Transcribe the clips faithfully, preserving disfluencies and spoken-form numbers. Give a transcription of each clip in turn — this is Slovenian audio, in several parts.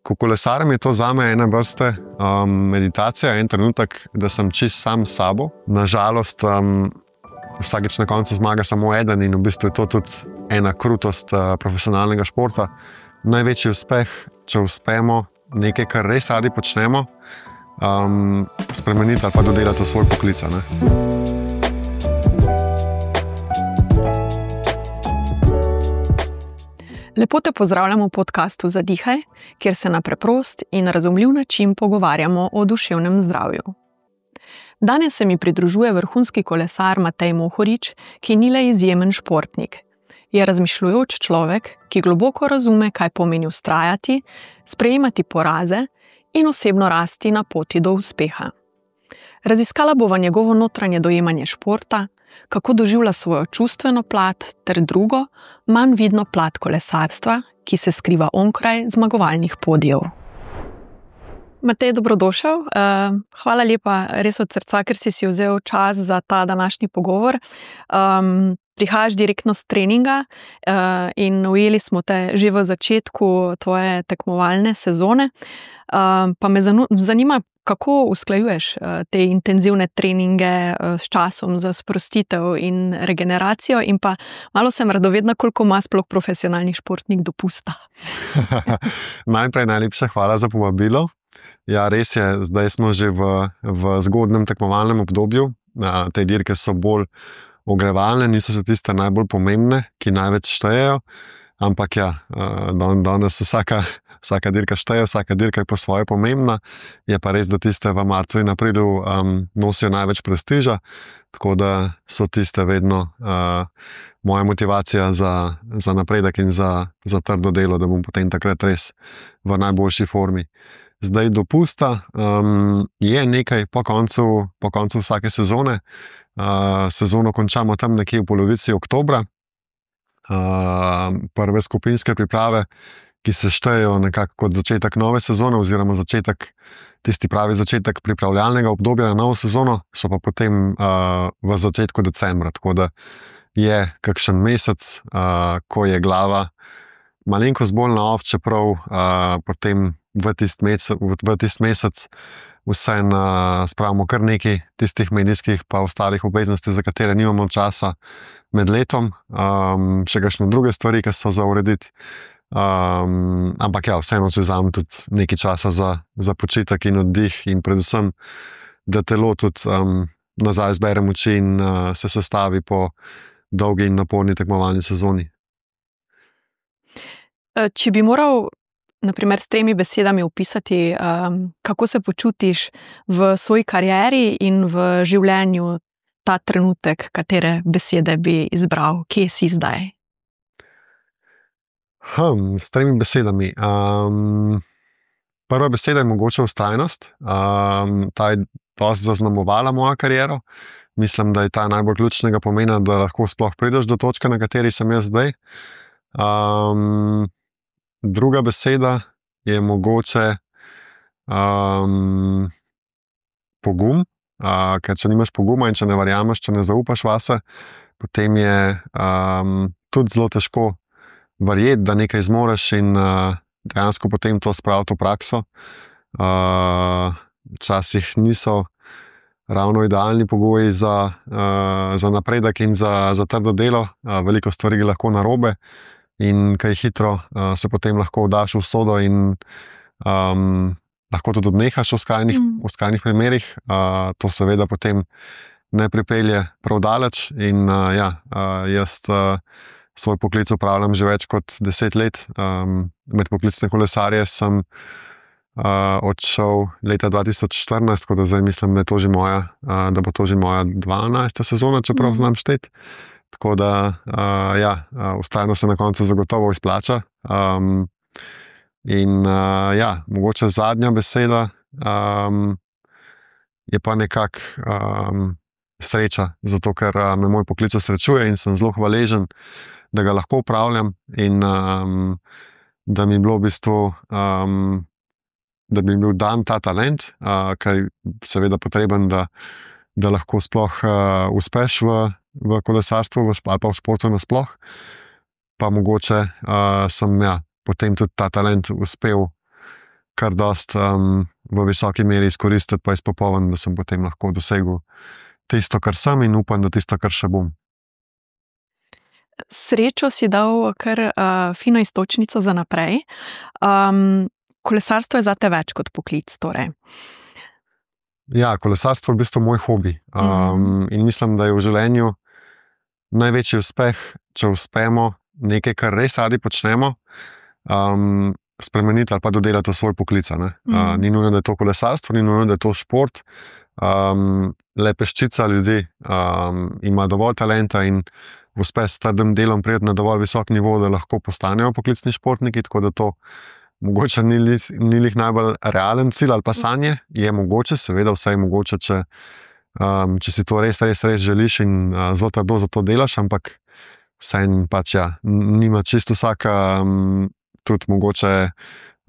Ko kolesarim, je to zame ena vrste um, meditacija, en trenutek, da sem čist sam s sabo. Nažalost, um, vsakič na koncu zmaga samo eden in v bistvu je to tudi ena krutost uh, profesionalnega športa. Največji uspeh, če uspemo nekaj, kar res radi počnemo, um, spremeniti ali pa dodelati v svoj poklic, ne? Lepo te pozdravljamo v podcastu Zadihaj, kjer se na preprost in razumljiv način pogovarjamo o duševnem zdravju. Danes se mi pridružuje vrhunski kolesar Matej Mohorič, ki ni le izjemen športnik. Je razmišljujoč človek, ki globoko razume, kaj pomeni vztrajati, sprejemati poraze in osebno rasti na poti do uspeha. Raziskala bova njegovo notranje dojemanje športa, kako doživlja svojo čustveno plat ter drugo, manj vidno plat kolesarstva, ki se skriva onkraj zmagovalnih podijev. Matej, dobrodošel. Hvala lepa res od srca, ker si si vzel čas za ta današnji pogovor. Um, prihajaš direktno s treninga uh, in ujeli smo te že v začetku tvoje tekmovalne sezone. Uh, pa me zanima, kako usklajuješ te intenzivne treninge s časom za sprostitev in regeneracijo in pa malo sem radovedna, koliko ima sploh profesionalni športnik dopusta. Najprej najlepša hvala za povabilo. Ja, res je, zdaj smo že v, v zgodnem tekmovalnem obdobju. Te dirke so bolj ogrevalne, niso še tiste najbolj pomembne, ki največ štejejo, ampak ja, danes vsaka Vsaka dirka šteje, vsaka dirka je po svoje pomembna. Je pa res, da tiste v marcu in aprilu um, nosijo največ prestiža, tako da so tiste vedno uh, moja motivacija za, za napredek in za, za trdo delo, da bom potem takrat res v najboljši formi. Zdaj dopusta um, je nekaj po koncu, po koncu vsake sezone. Uh, sezono končamo tam nekje v polovici oktobra. Uh, prve skupinske priprave, ki se štejejo nekako kot začetek nove sezone oziroma začetek, tisti pravi začetek pripravljalnega obdobja na novo sezono, so pa potem uh, v začetku decembra, tako da je kakšen mesec, uh, ko je glava malenkost bolj na off, čeprav uh, potem v tisti mesec, v, v tist mesec vseeno uh, spravimo kar nekaj tistih medijskih pa ostalih obveznosti, za katere nimamo časa med letom, um, še kakšne druge stvari, ki so za urediti. Um, ampak ja, vseeno si vzamem tudi nekaj časa za, za počitek in oddih in predvsem, da telo tudi um, nazaj zbere moči in uh, se sestavi po dolgi in naporni tekmovalni sezoni. Če bi moral, na primer, s tremi besedami opisati, um, kako se počutiš v svoji karieri in v življenju ta trenutek, katere besede bi izbral, kje si zdaj? Hmm, s tremi besedami. Um, prva beseda je mogoče vztrajnost. Um, ta je dosti zaznamovala mojo kariero. Mislim, da je ta najbolj ključnega pomena, da lahko sploh prideš do točke, na kateri sem jaz zdaj. Um, druga beseda je mogoče um, pogum, uh, ker če nimaš poguma in če ne verjameš, če ne zaupaš vase, potem je um, tudi zelo težko verjeti, da nekaj zmoreš in uh, dejansko potem to spraviti v prakso. Uh, včasih niso ravno idealni pogoji za, uh, za napredek in za, za trdo delo. Uh, veliko stvari je lahko narobe in kaj hitro uh, se potem lahko vdaš v sodo in um, lahko tudi odnehaš v skrajnih, mm. v skrajnih primerih. Uh, to seveda potem ne pripelje prav daleč in uh, ja, uh, jaz uh, svoj poklic upravljam že več kot deset let. Um, med poklicne kolesarje sem uh, odšel leta dva tisoč štirinajst, tako da zdaj mislim, da, je to že moja, uh, da bo to že moja dvanajsta sezona, čeprav mm. znam šteti. Tako da, uh, ja, uh, vztrajno se na koncu zagotovo izplača. Um, in uh, ja, mogoče zadnja beseda um, je pa nekako um, sreča, zato ker uh, me moj poklic srečuje in sem zelo hvaležen, da ga lahko upravljam in um, da mi je bilo v bistvu, um, da mi je bil dan ta talent, uh, ki je seveda potreben, da, da lahko sploh uh, uspeš v, v kolesarstvu v, ali pa v športu nasploh. Pa mogoče uh, sem ja, potem tudi ta talent uspel kar dost um, v visoki meri izkoristiti, pa izpopolniti, da sem potem lahko dosegel tisto, kar sem in upam, da tisto, kar še bom. Srečo si dal kar uh, fino iztočnico za naprej. Um, kolesarstvo je zate več kot poklic, torej. Ja, kolesarstvo je v bistvu moj hobi. Um, mm. In mislim, da je v življenju največji uspeh, če uspemo nekaj, kar res radi počnemo, um, spremeniti ali pa dodelati v svoj poklic. Mm. Uh, ni nujno, da je to kolesarstvo, ni nujno, da je to šport. Um, le peščica ljudi um, ima dovolj talenta in uspe s trdim delom priti na dovolj visok nivo, da lahko postanejo poklicni športniki, tako da to mogoče ni lih najbolj realen cilj ali pa sanje. Je mogoče, seveda vse je mogoče, če, um, če si to res, res, res želiš in uh, zelo trdo za to delaš, ampak vseeno pač ja, nima čisto vsaka um, tudi mogoče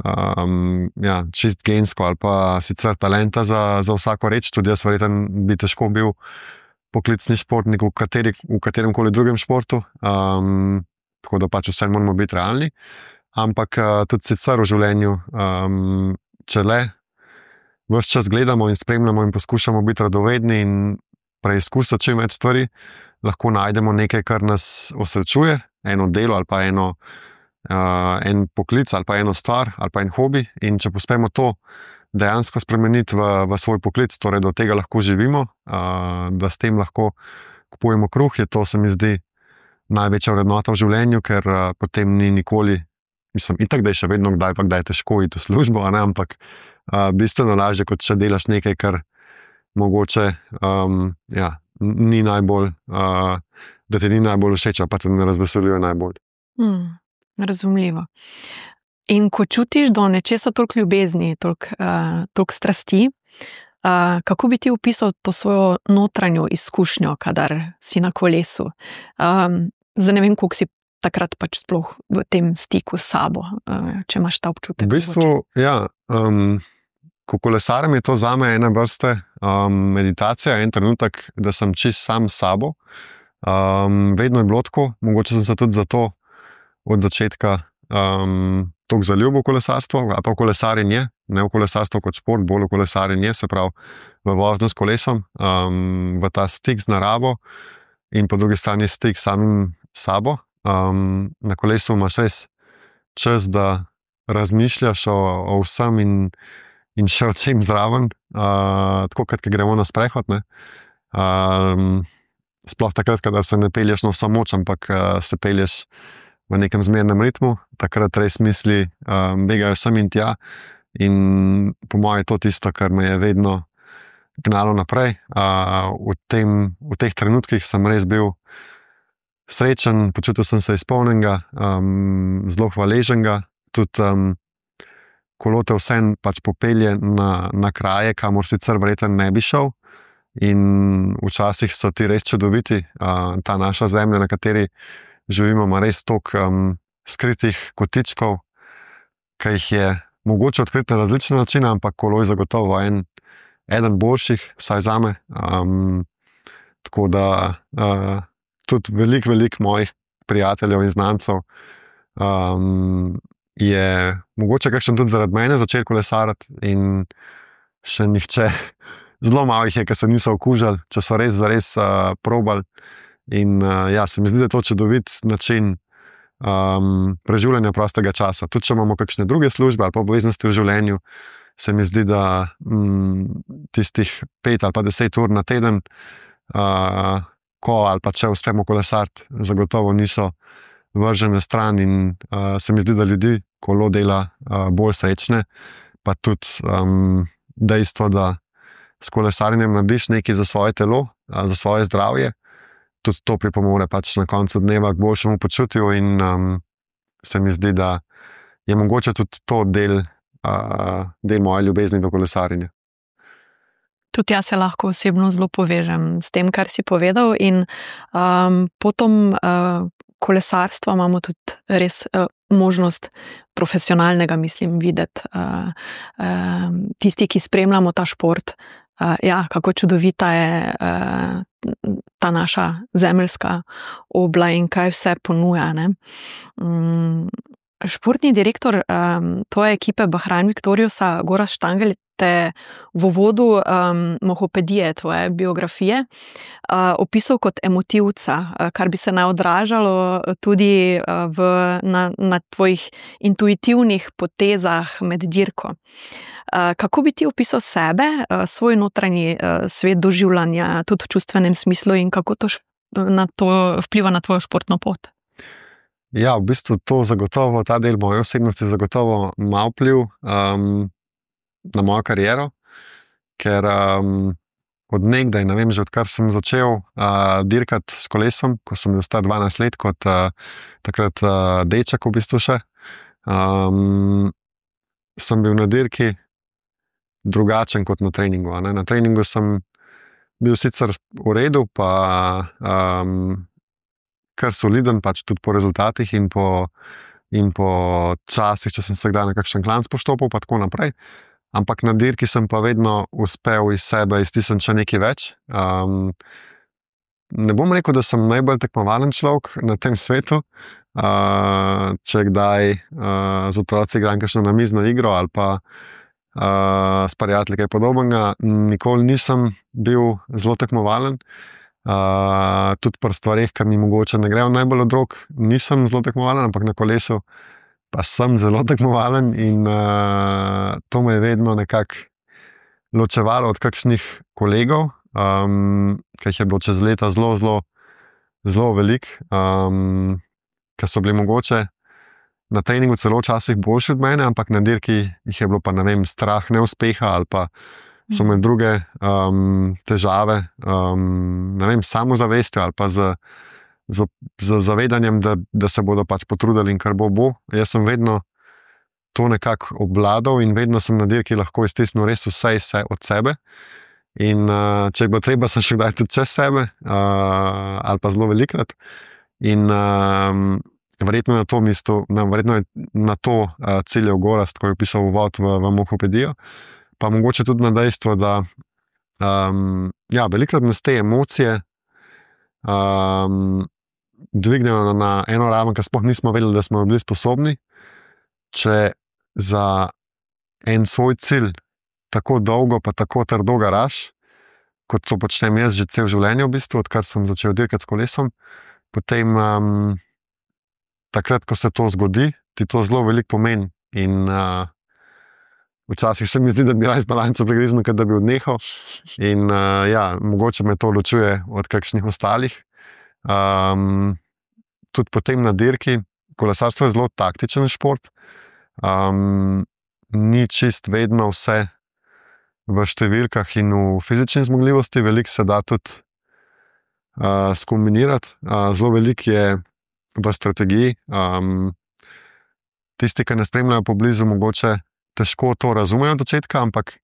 um, ja, čist gensko ali pa sicer talenta za, za vsako reč. Tudi jaz verjetno bi težko bil poklicni športnik v, kateri, v katerem koli drugem športu, um, tako da pač vse moramo biti realni. Ampak uh, tudi sicer v življenju, um, če le ves čas gledamo in spremljamo in poskušamo biti radovedni in preizkusiti čim več stvari, lahko najdemo nekaj, kar nas osrečuje, eno delo ali pa eno, uh, en poklic ali pa eno stvar ali pa en hobi. In če uspemo to dejansko spremeniti v, v svoj poklic, torej da od tega lahko živimo, uh, da s tem lahko kupujemo kruh, je to, se mi zdi, največja vrednota v življenju, ker uh, potem ni nikoli, mislim, itak, da je še vedno kdaj pa kdaj težko iti v službo, a ne, ampak uh, bistveno lažje, kot če delaš nekaj, kar mogoče um, ja, ni najbolj, uh, da ti ni najbolj všeč, pa te ne razveseljuje najbolj. Hmm, razumljivo. In ko čutiš do nečesa toliko ljubezni, toliko, uh, toliko strasti, uh, kako bi ti opisal to svojo notranjo izkušnjo, kadar si na kolesu? Um, zdaj ne vem, koliko si takrat pač sploh v tem stiku s sabo, uh, če imaš ta občutek. V bistvu, ja, um, ko kolesarim, je to zame ena vrste um, meditacija, en trenutek, da sem čist sam s sabo. Um, vedno je bilo tako, mogoče sem se tudi zato od začetka um, toliko zaljubil v kolesarstvo, ali pa v kolesarjenje, ne v kolesarstvo kot šport, bolj v kolesarjenje, se pravi v vožnjo s kolesom, um, v ta stik z naravo in po drugi strani stik s samim sabo. Um, na kolesu imaš res čas, da razmišljaš o, o vsem in, in še o čem zraven, uh, tako kot gremo na sprehod. Ne? Um, sploh takrat, kadar se ne pelješ na vso moč, ampak uh, se pelješ v nekem zmernem ritmu, takrat res misli um, begajo sem in tja. In po mojem je to tisto, kar me je vedno gnalo naprej. Uh, v, tem, v teh trenutkih sem res bil srečen, počutil sem se izpolnjenega, um, zelo hvaleženega. Tudi um, kolo te vseeno pač popelje na, na kraje, kamor sicer verjetno ne bi šel. In včasih so ti res čudoviti. Uh, ta naša zemlja, na kateri živimo, ima res toliko um, skritih kotičkov, ki jih je mogoče odkriti na različne načine, ampak kolo je zagotovo en, eden boljših, vsaj zame. Um, tako da uh, tudi veliko, veliko mojih prijateljev in znancev um, je mogoče kakšen tudi zaradi mene začel kolesariti in še nihče, zelo malo jih je, ki se niso okužili, če so res zares uh, probali. In uh, ja, se mi zdi, da je to čudovit način um, preživljanja prostega časa. Tudi če imamo kakšne druge službe ali pa obveznosti v življenju, se mi zdi, da um, tistih pet ali pa deset ur na teden, uh, ko ali pa če uspemo kolesariti, zagotovo niso vržene stran in uh, se mi zdi, da ljudi kolo dela uh, bolj srečne, pa tudi um, dejstvo, da s kolesarjenjem narediš nekaj za svoje telo, uh, za svoje zdravje, tudi to pripomore pač na koncu dneva k boljšemu počutju in um, se mi zdi, da je mogoče tudi to del, uh, del moje ljubezni do kolesarjenja. Tudi jaz se lahko osebno zelo povežem s tem, kar si povedal in um, potom uh, kolesarstva imamo tudi res uh, možnost profesionalnega, mislim, videti. Uh, uh, tisti, ki spremljamo ta šport, Uh, ja, kako čudovita je uh, ta naša zemeljska obla in kaj vse ponuja. Ne? Um, Športni direktor um, tvoje ekipe Bahrain Victoriousa, Gorazd Štangelj, te v uvodu um, mohopedije, tvoje biografije, uh, opisal kot emotivca, uh, kar bi se naj odražalo tudi uh, v, na, na tvojih intuitivnih potezah med dirko. Uh, kako bi ti opisal sebe, uh, svoj notranji uh, svet doživljanja, tudi v čustvenem smislu in kako to, š, na to vpliva na tvojo športno pot? Ja, v bistvu to zagotovo, ta del moje osebnosti zagotovo ima vpliv um, na mojo kariero, ker um, od nekdaj, ne vem, že odkar sem začel uh, dirkati s kolesom, ko sem bil star dvanajst let, kot uh, takrat uh, deček v bistvu še, um, sem bil na dirki drugačen kot na treningu. Ne? Na treningu sem bil sicer v redu, pa um, kar soliden, pač tudi po rezultatih in po, in po časih, če sem se kdaj na kakšen klanc poštopil, pa tako naprej. Ampak na dirki sem pa vedno uspel iz sebe iztisniti še nekaj več. Um, ne bom rekel, da sem najbolj tekmovalen človek na tem svetu. Uh, če kdaj uh, z otroci igram kakšno namizno igro ali pa uh, s prijatelji kaj podobnega, nikoli nisem bil zelo tekmovalen. Uh, tudi pri stvareh, ki mi mogoče ne grejo najbolj od rok, nisem zelo tekmovalen, ampak na kolesu pa sem zelo tekmovalen in uh, to me je vedno nekako ločevalo od kakšnih kolegov, um, ki jih je bilo čez leta zelo, zelo, zelo veliko, um, ki so bili mogoče na treningu celo včasih boljši od mene, ampak na dirki jih je bilo pa, ne vem, strah neuspeha ali pa so imeli druge um, težave, um, ne vem, samozavestjo ali pa z, z, z zavedanjem, da, da se bodo pač potrudili in kar bo bo. Jaz sem vedno to nekako obvladal in vedno sem na dirki lahko iztisnil res vse, vse od sebe. In uh, če je bilo treba, sem še kdaj tudi čez sebe, uh, ali pa zelo velikrat. In uh, verjetno, na to mesto, na, verjetno je na to uh, ciljal Gorazd, ko je pisal uvod v, v mohopedijo. Pa mogoče tudi na dejstvo, da um, ja, velikrat nas te emocije um, dvignejo na eno raven, ki sploh nismo vedeli, da smo bili sposobni. Če za en svoj cilj tako dolgo, pa tako trdo garaš, kot to počnem jaz že cel življenje v bistvu, odkar sem začel dirkati s kolesom, potem um, takrat, ko se to zgodi, ti to zelo veliko pomeni in uh, včasih se mi zdi, da bi raje balanco pregriznil, kot da bi odnehal. In uh, ja, mogoče me to ločuje od kakšnih ostalih. Um, tudi potem na dirki, kolesarstvo je zelo taktičen šport. Um, ni čist vedno vse v številkah in v fizični zmogljivosti, veliko se da tudi uh, skombinirati. Uh, zelo veliko je v strategiji. Um, tisti, ki ne spremljajo poblizu, mogoče težko to razumejo od začetka, ampak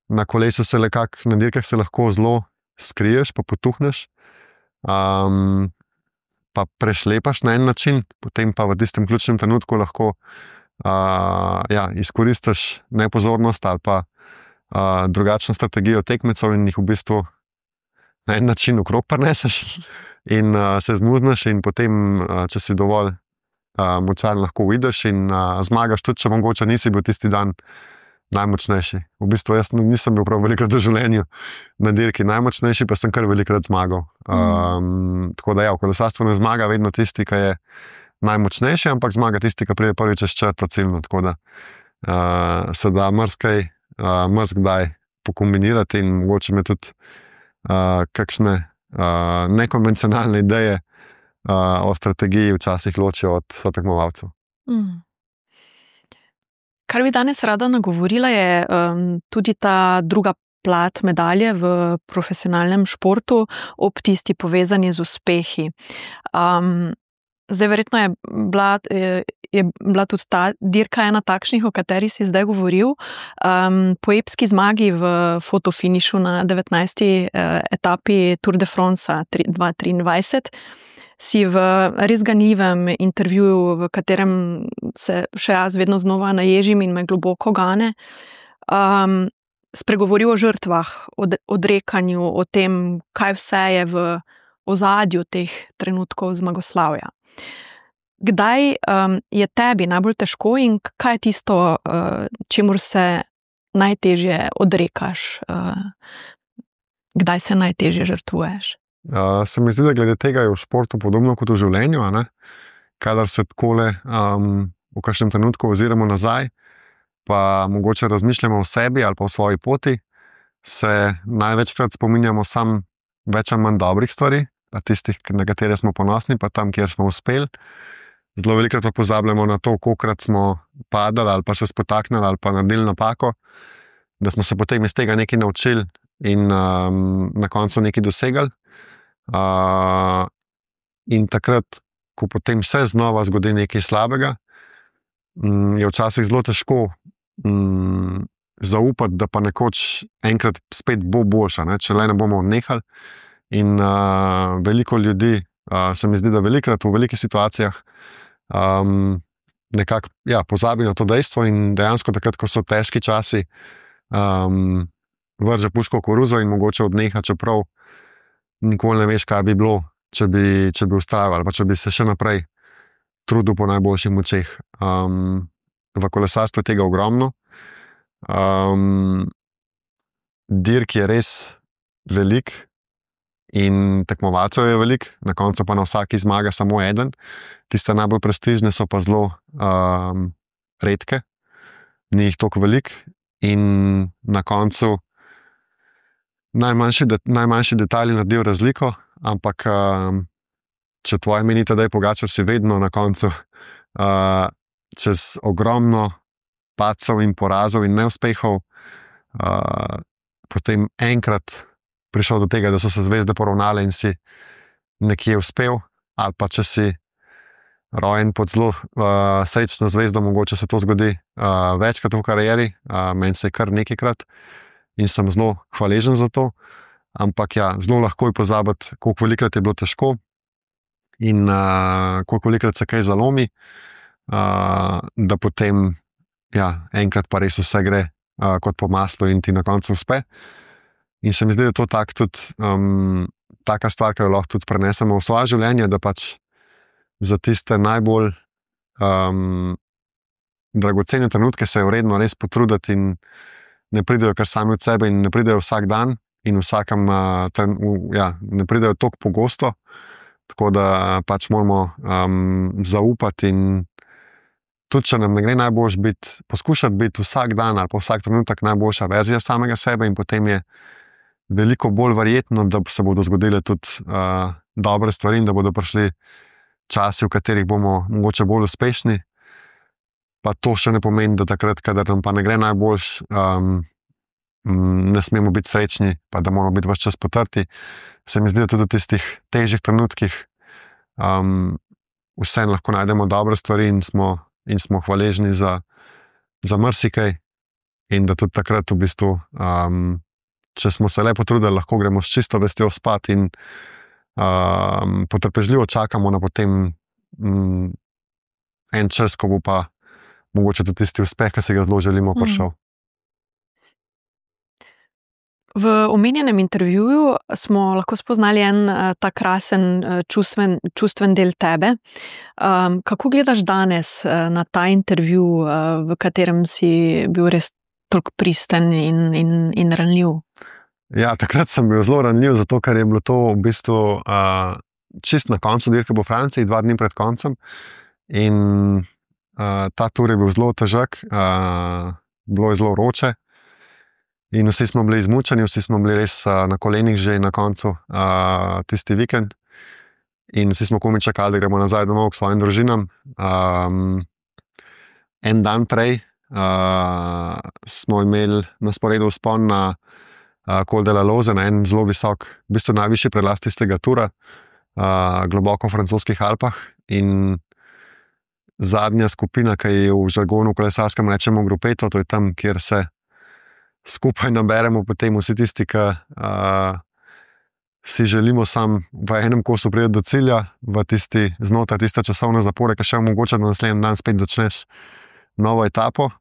na kolesu se lekak, na dirkah se lahko zelo skriješ, pa potuhneš, um, pa prešlepaš na en način, potem pa v tistem ključnem trenutku lahko uh, ja, izkoristiš nepozornost ali pa uh, drugačno strategijo tekmecev in jih v bistvu na en način okrog prineseš in uh, se zmuzneš in potem, uh, če si dovolj Uh, močan, lahko vidiš in uh, zmagaš, tudi če mogoče nisi bil tisti dan najmočnejši. V bistvu jaz nisem bil prav velikrat v življenju na dirki najmočnejši, pa sem kar velikrat zmagal. Um, mm. Tako da ja, v kolesarstvu ne zmaga vedno tisti, ki je najmočnejši, ampak zmaga tisti, ki pride prvič čez črto ciljno. Tako da uh, se da marsikaj, uh, marsikdaj pokombinirati in mogoče me tudi uh, kakšne uh, nekonvencionalne ideje Uh, o strategiji včasih ločijo od sotekmovalcev. Mm. Kar bi danes rada nagovorila je um, tudi ta druga plat medalje v profesionalnem športu ob tisti povezani z uspehi. Um, zdaj verjetno je bila, je, je bila tudi ta dirka ena takšnih, o kateri si zdaj govoril. Um, po epski zmagi v fotofinišu na devetnajsti uh, etapi Tour de France dva tisoč triindvajset si v res ganljivem intervjuju, v katerem se še jaz vedno znova naježim in me globoko gane, um, spregovoril o žrtvah, o odrekanju, o tem, kaj vse je v ozadju teh trenutkov zmagoslavja. kdaj um, je tebi najbolj težko in kaj je tisto, uh, čemur se najtežje odrekaš? Uh, kdaj se najtežje žrtvuješ? Uh, se mi zdi, da glede tega je v športu podobno kot v življenju, a ne? Kadar se takole um, v kakšnem trenutku oziramo nazaj, pa mogoče razmišljamo o sebi ali pa o svoji poti, se največkrat spominjamo sam več ali manj dobrih stvari, tistih, na katere smo ponosni, pa tam, kjer smo uspeli. Zelo velikokrat pa pozabljamo na to, kolikokrat smo padali ali pa se spotaknili ali pa naredili napako, da smo se potem iz tega nekaj naučili in um, na koncu nekaj dosegali. Uh, in takrat, ko potem se znova zgodi nekaj slabega, um, je včasih zelo težko um, zaupati, da pa nekoč enkrat spet bo boljša, ne? Če le ne bomo odnehali. In uh, veliko ljudi, uh, se mi zdi, da velikrat v velikih situacijah um, nekako ja, pozabi na to dejstvo in dejansko takrat, ko so težki časi, um, vrže puško v koruzo in mogoče odneha, čeprav nikoli ne veš, kaj bi bilo, če bi, če bi ustrajal ali pa če bi se še naprej trudil po najboljših močeh. Um, v kolesarstvu je tega ogromno. Um, dirk je res velik in tekmovalcev je velik, na koncu pa na vsaki zmaga samo eden. Tiste najbolj prestižne so pa zelo um, redke, ni jih toliko velik in na koncu najmanjši, de, najmanjši detajli naredijo razliko, ampak um, če tvoje meni Tadej Pogačar, si vedno na koncu uh, čez ogromno padcev in porazov in neuspehov uh, potem enkrat prišel do tega, da so se zvezde poravnale in si nekje uspel, ali pa če si rojen pod zelo uh, srečno zvezdo, mogoče se to zgodi uh, večkrat v karieri, uh, meni se je kar nekajkrat in sem zelo hvaležen za to, ampak ja, zelo lahko je pozabiti, koliko velikrat je bilo težko in uh, koliko velikrat se kaj zalomi, uh, da potem ja, enkrat pa res vse gre uh, kot po maslu in ti na koncu uspe. In se mi zdi, da je to tak tudi, um, taka stvar, ki jo lahko tudi prenesemo v svoje življenje, da pač za tiste najbolj um, dragocene trenutke se je vredno res potruditi in ne pridejo kar sami od sebe in ne pridejo vsak dan in vsakem, uh, ten, uh, ja, ne pridejo toliko pogosto, tako da pač moramo um, zaupati in tudi, če nam ne gre najboljš biti, poskušati biti vsak dan ali pa vsak trenutek najboljša verzija samega sebe in potem je veliko bolj verjetno, da se bodo zgodile tudi uh, dobre stvari in da bodo prišli časi, v katerih bomo mogoče bolj uspešni. Pa to še ne pomeni, da takrat, kadar nam pa ne gre najboljš, um, ne smemo biti srečni, pa da moramo biti ves čas potrti. Se mi zdi, da tudi v tistih težjih trenutkih um, vseeno lahko najdemo dobre stvari in smo, in smo hvaležni za, za marsikaj in da tudi takrat v bistvu um, če smo se le potrudili, lahko gremo s čisto vestjo spat in um, potrpežljivo čakamo na potem um, en čas, ko bo pa mogoče tudi tisti uspeh, ki si ga zelo želimo, prišel. V omenjenem intervjuju smo lahko spoznali en uh, ta krasen uh, čustven, čustven del tebe. Um, kako gledaš danes uh, na ta intervju, uh, v katerem si bil res toliko pristen in, in, in ranljiv? Ja, takrat sem bil zelo ranljiv, zato ker je bilo to v bistvu uh, čist na koncu dirke po Franciji, dva dni pred koncem. In uh, ta tur je bil zelo težak, uh, bilo je zelo vroče. In vsi smo bili izmučeni, vsi smo bili res uh, na kolenih že na koncu uh, tisti vikend. In vsi smo komaj čakali, da gremo nazaj domov k svojim družinam. Um, en dan prej uh, smo imeli na sporedu vzpon na uh, Col de la Loze, na en zelo visok, v bistvu najvišji prelaz tistega tura, uh, globoko v francoskih Alpah. In zadnja skupina, ki je v žargonu kolesarskem rečemo grupeto, to je tam, kjer se skupaj naberemo potem vsi tisti, ki uh, si želimo sam v enem kosu priti do cilja, v tisti znotraj tiste časovne zapore, ki še omogoča, da naslednji dan spet začneš novo etapo.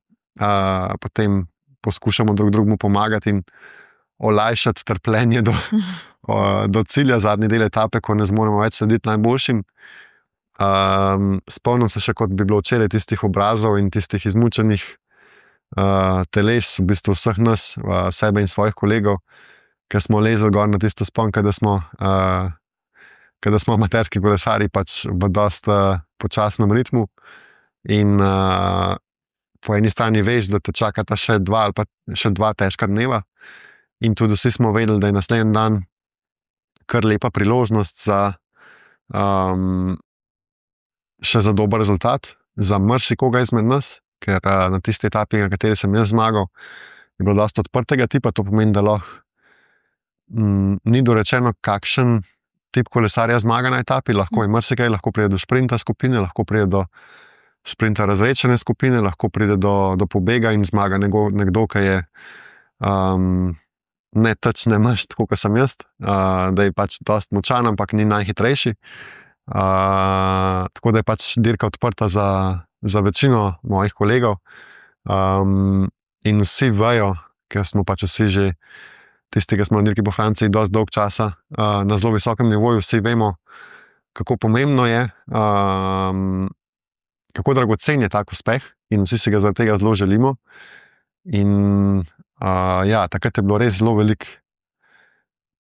Uh, potem poskušamo drug drugemu pomagati in olajšati trpljenje do, uh, do cilja, zadnji del etape, ko ne zmoremo več slediti najboljšim. Um, spomnim se še, kot bi bilo včeraj tistih obrazov in tistih izmučenih uh, teles, v bistvu vseh nas, uh, sebe in svojih kolegov, ki smo lezli gor na tisto spon, kada smo, uh, kada smo amaterski kolesari pač v dosta uh, počasnem ritmu. In uh, po eni strani veš, da te čakata še dva ali pa še dva težka dneva. In tudi vsi smo vedeli, da je naslednji dan kar lepa priložnost za um, še za dober rezultat, za marsikoga izmed nas, ker uh, na tisti etapi, na kateri sem jaz zmagal, je bilo dosta odprtega tipa, to pomeni, da lahko mm, ni dorečeno, kakšen tip kolesarja zmaga na etapi, lahko je marsikaj, lahko pride do šprinta skupine, lahko pride do šprinta razrečene skupine, lahko pride do, do pobega in zmaga nekdo, nekdo ki je um, ne teč, ne mrš, tako kot sem jaz, uh, da je pač dosti močan, ampak ni najhitrejši. Uh, tako da je pač dirka odprta za, za večino mojih kolegov. Um, in vsi vejo, ker smo pač vsi že tisti, ki smo na dirki po Franciji dosti dolg časa uh, na zelo visokem nivoju, vsi vemo, kako pomembno je, um, kako dragocen je tak uspeh in vsi si ga zaradi tega zelo želimo. In uh, ja, takrat je bilo res zelo veliko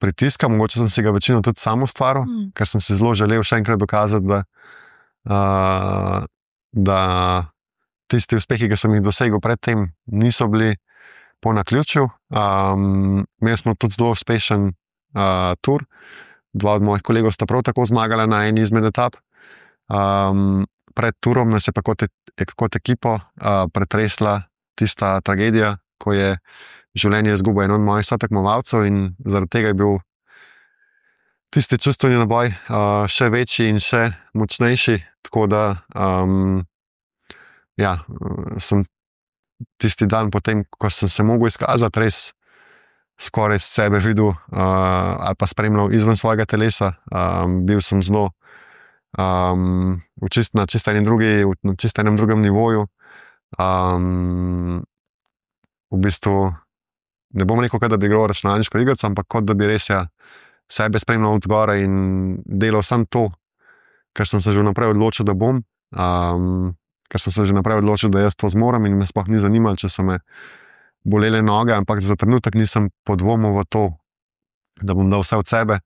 pritiska, mogoče sem si ga večino tudi sam ustvaril, mm. ker sem si zelo želel še enkrat dokazati, da, uh, da tisti uspehi, ki sem jih dosegel predtem, niso bili po naključju. Um, imeli smo tudi zelo uspešen uh, tur. Dva od mojih kolegov sta prav tako zmagala na eni izmed etap. Um, pred turom nas je pa kot, e, kot ekipo uh, pretresla tista tragedija, ko je življenje izgubil en od mojih sotekmovalcev in zaradi tega je bil tisti čustveni naboj uh, še večji in še močnejši, tako da um, ja, sem tisti dan potem, ko sem se mogel izkazati, res skoraj sebe videl uh, ali pa spremljal izven svojega telesa. Um, bil sem zelo um, v čist, na čisto enem drugi, na čisto enem drugem nivoju. Um, v bistvu ne bom rekel, da bi igral računalniško igrico, ampak kot da bi res ja sebe spremljal od zgoraj in delal samo to, ker sem se že naprej odločil, da bom, um, ker sem se že naprej odločil, da jaz to zmorem in me sploh ni zanimalo, če so me bolele noge, ampak za trenutek nisem podvomil v to, da bom dal vse od sebe.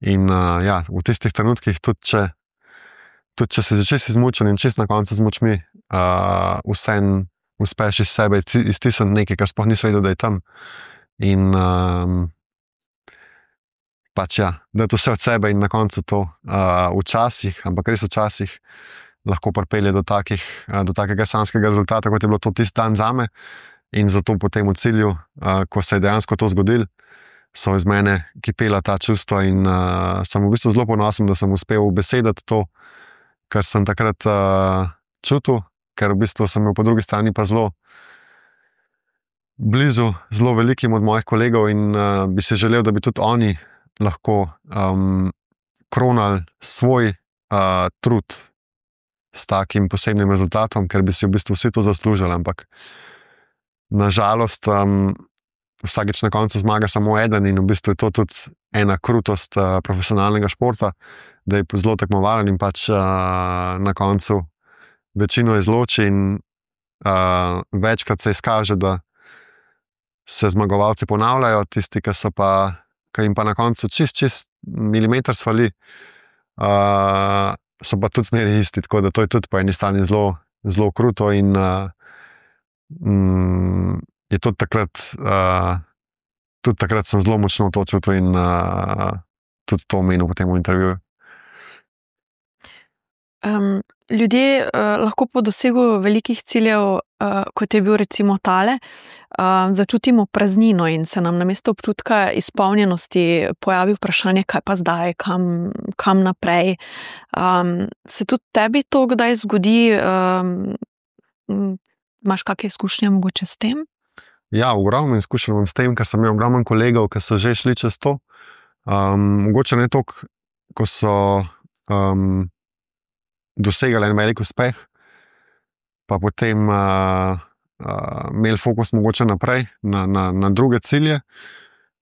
In uh, ja, v tistih trenutkih, tudi če, tudi če se začeš izmučen in čist na koncu z močmi, uh, vsem uspeš iz sebe iztisniti nekaj, kar sploh nisi vedel, da je tam. In um, pač ja, da je to vse od sebe in na koncu to uh, včasih, ampak res včasih lahko pripelje do, takih, uh, do takega sanjskega rezultata, kot je bilo to tisti dan zame. In zato potem v cilju, uh, ko se je dejansko to zgodilo, so iz mene kipela ta čustva in uh, sem v bistvu zelo ponosen, da sem uspel ubesediti to, kar sem takrat uh, čutil, ker v bistvu sem bil po drugi strani pa zelo blizu, zelo velikim od mojih kolegov in uh, bi si želel, da bi tudi oni lahko um, kronali svoj uh, trud s takim posebnim rezultatom, ker bi si v bistvu vsi to zaslužili, ampak nažalost um, vsakič na koncu zmaga samo eden in v bistvu je to tudi ena krutost uh, profesionalnega športa, da je zelo tekmovalen in pač uh, na koncu večino izloči in uh, večkrat se izkaže, da se zmagovalci ponavljajo, tisti, ki so pa, ki jim pa na koncu čist, čist milimeter svali, uh, so pa tudi zmeri isti, tako da to je tudi po eni strani zelo, zelo kruto in uh, mm, je tudi takrat, uh, tudi takrat sem zelo močno to čutil in uh, tudi to omenil potem v intervjuju. Um, ljudje uh, lahko po dosegu velikih ciljev, uh, kot je bil recimo tale, uh, začutimo praznino in se nam namesto občutka izpolnjenosti pojavi vprašanje, kaj pa zdaj, kam, kam naprej. Um, se tudi tebi to kdaj zgodi? Um, imaš kakšne izkušnje mogoče s tem? Ja, ogromno izkušenj imam s tem, ker sem imel ogromno kolegov, ki so že šli čez to. Um, mogoče ne toliko, ko so um, dosegali en velik uspeh, pa potem uh, uh, imeli fokus mogoče naprej, na, na, na druge cilje.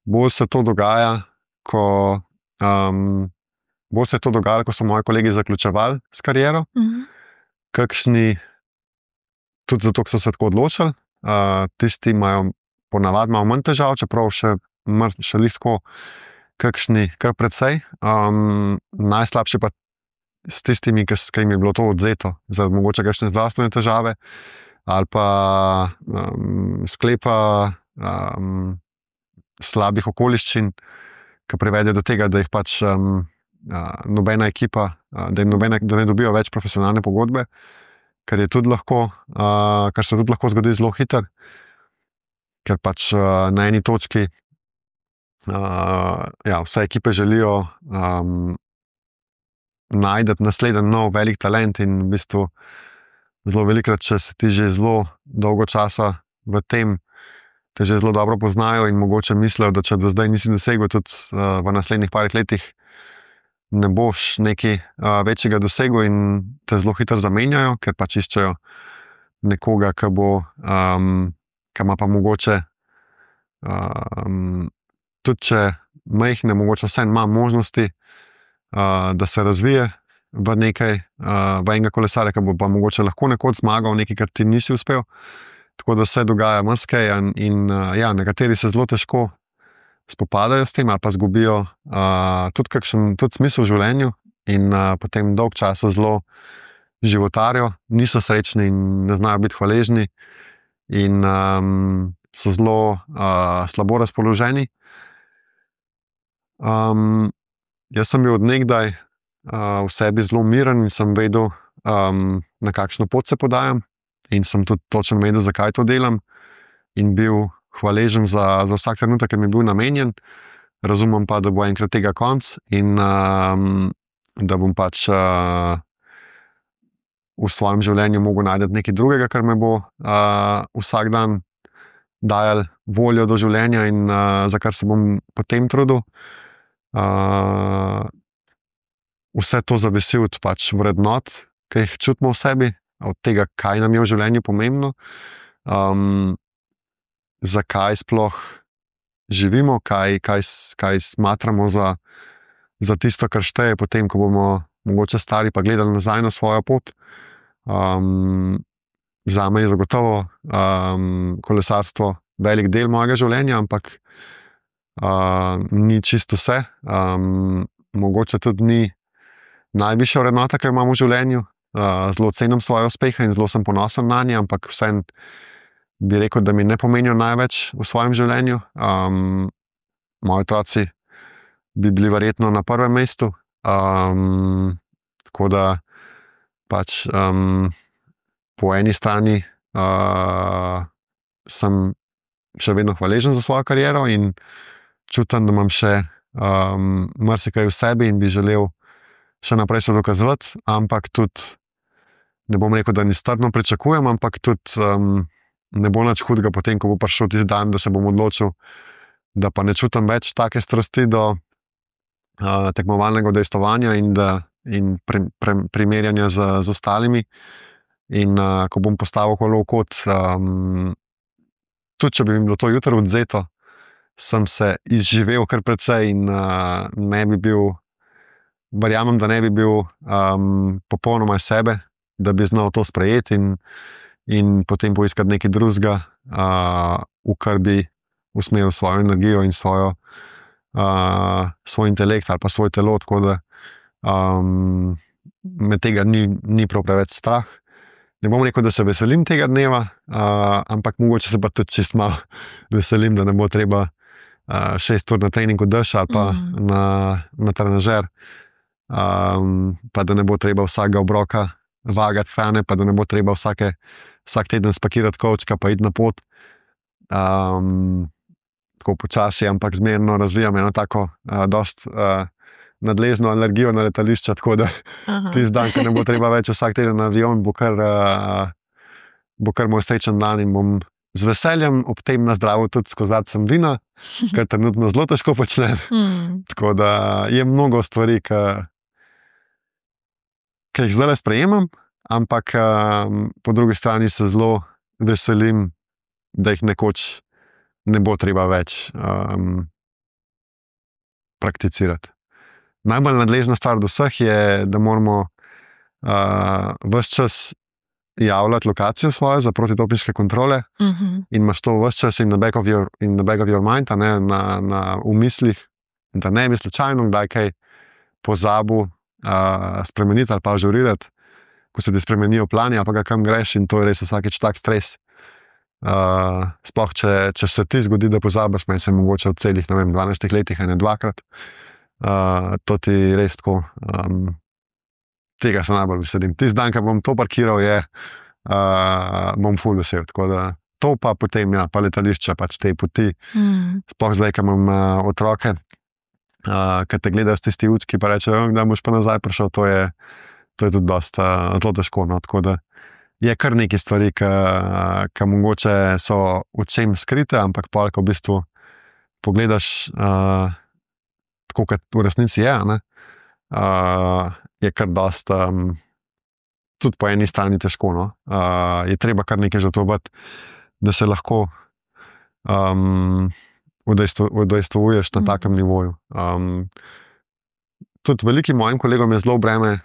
Bolj se to dogaja, ko um, bolj se je to dogajalo, ko so moji kolegi zaključevali s kariero, Mhm. kakšni, tudi zato, ker so se tako odločili, uh, tisti imajo ponavadi malo manj težav, čeprav še, mr- še lihko, kakšni kar precej. Um, najslabše pa s tistimi, ki s- ki jim je bilo to odvzeto, zaradi mogoče kakšne zdravstvene težave ali pa um, sklepa um, slabih okoliščin, ki privedejo do tega, da jih pač um, uh, nobena ekipa, uh, da jim nobena, da ne dobijo več profesionalne pogodbe, kar je tudi lahko, uh, kar se tudi lahko zgodi zelo hitro, ker pač uh, na eni točki uh, ja, vse ekipe želijo um, najti naslednji nov velik talent in v bistvu zelo velikrat, če se ti že zelo dolgo časa v tem, te že zelo dobro poznajo in mogoče mislijo, da če do zdaj nisi dosegel, tudi uh, v naslednjih parih letih ne boš nekaj uh, večjega dosegel in te zelo hitro zamenjajo, ker pač iščejo nekoga, ki bo, um, ki ima pa mogoče, um, tudi če majhne, mogoče vseeno ima možnosti, uh, da se razvije v nekaj, uh, v enega kolesarja, ki bo pa mogoče lahko nekoč zmagal nekaj, kar ti nisi uspel. Tako da se dogaja marsikaj in, in uh, ja, nekateri se zelo težko spopadajo s tem ali pa zgubijo uh, tudi kakšen tudi smisel v življenju in uh, potem dolg časa zelo životarijo, niso srečni in ne znajo biti hvaležni in um, so zelo uh, slabo razpoloženi. Um, jaz sem bil od nekdaj uh, v sebi zelo miren in sem vedel, um, na kakšno pot se podajam in sem tudi točno vedel, zakaj to delam in bil hvaležen za, za vsak trenutek, ki mi je bil namenjen. Razumem pa, da bo enkrat tega konc in um, da bom pač uh, v svojem življenju mogel najti nekaj drugega, kar me bo uh, vsak dan dajal voljo do življenja in uh, za kar se bom potem trudil. Uh, vse to zavisi od pač vrednot, ki jih čutimo v sebi, od tega, kaj nam je v življenju pomembno, um, zakaj sploh živimo, kaj, kaj, kaj smatramo za, za tisto, kar šteje, potem, ko bomo mogoče stari pa gledali nazaj na svojo pot. Um, zame je zagotovo um, kolesarstvo velik del mojega življenja, ampak uh, ni čisto vse. Um, mogoče tudi ni najvišja vrednota, ki jo imam v življenju. Uh, zelo cenim svoje uspehe in zelo sem ponosen na nje, ampak vseeno bi rekel, da mi ne pomenijo največ v svojem življenju. Um, moji otroci bi bili verjetno na prvem mestu. Um, tako da pač um, po eni strani uh, sem še vedno hvaležen za svojo kariero in čutim, da imam še um, marsikaj v sebi in bi želel še naprej se dokazovati, ampak tudi ne bom rekel, da ni strpno pričakujem, ampak tudi um, ne bo nič hudega potem, ko bo prišel tisti dan, da se bom odločil, da pa ne čutim več take strasti do uh, tekmovalnega udejstvovanja in, da, in pre, pre, primerjanja z, z ostalimi. In uh, ko bom postavil kolo v kot, um, tudi če bi mi bilo to jutro odvzeto, sem se izživel kar precej in uh, ne bi bil, verjamem, da ne bi bil um, popolnoma iz sebe, da bi znal to sprejeti in, in potem poiskati nekaj drugega, uh, v kar bi usmeril svojo energijo in svojo, uh, svoj intelekt ali pa svoje telo, tako da um, me tega ni, ni prav preveč strah. Ne bom rekel, da se veselim tega dneva, uh, ampak mogoče se pa tudi čist malo veselim, da ne bo treba uh, šest ur na treningu dež ali pa mm. na, na trenažer, um, pa da ne bo treba vsakega obroka vagati hrane, pa da ne bo treba vsake, vsak teden spakirati kovčka pa iti na pot. Um, tako počasi, ampak zmerno razvijam eno tako uh, dost uh, nadležno alergijo na letališča, tako da tisti dan, ko ne bo treba več vsak teden na avion, bo kar, uh, bo kar moj srečen dan in bom z veseljem ob tem nazdravil tudi s kozarcem vina, kar trenutno zelo težko počnem. Mm. Tako da je mnogo stvari, ki ki jih zdaj sprejemam, ampak um, po drugi strani se zelo veselim, da jih nekoč ne bo treba več um, prakticirati. najbolj nadležna stvar do vseh je, da moramo uh, ves čas javljati lokacijo svojo za protidopinške kontrole Uh -huh. in imaš to ves čas in na back of your, in the back of your mind, a ne, na, na umislih, in da ne bi slučajno kdaj kaj pozabil uh, spremeniti ali pa ažurirati, ko se ti spremenijo plani ali pa ga kam greš, in to je res vsakeč tak stres. Uh, sploh, če, če se ti zgodi, da pozabiš, meni se mogoče v celih, ne vem, dvanajstih letih, ene dvakrat, uh, to ti res tako, um, tega se najbolj veselim. Tisti dan, ko bom to parkiral, je, uh, bom ful vesel, tako da to pa potem, ja, pa letališče, pač te poti, Mm. sploh zdaj, ko imam uh, otroke, uh, ki te gledajo s tisti učki, pa rečejo, da boš pa nazaj prišel, to je, to je tudi dosta uh, zelo težko, no, tako da je kar nekaj stvari, ki mogoče so očem skrite, ampak pol, ko v bistvu pogledaš uh, tako, kot v resnici je, ne, uh, je kar dosta, um, tudi po eni strani težko. No. Uh, je treba kar nekaj žrtvovati, da se lahko um, udejstvuješ na takem nivoju. Um, tudi velikim mojim kolegom je zelo breme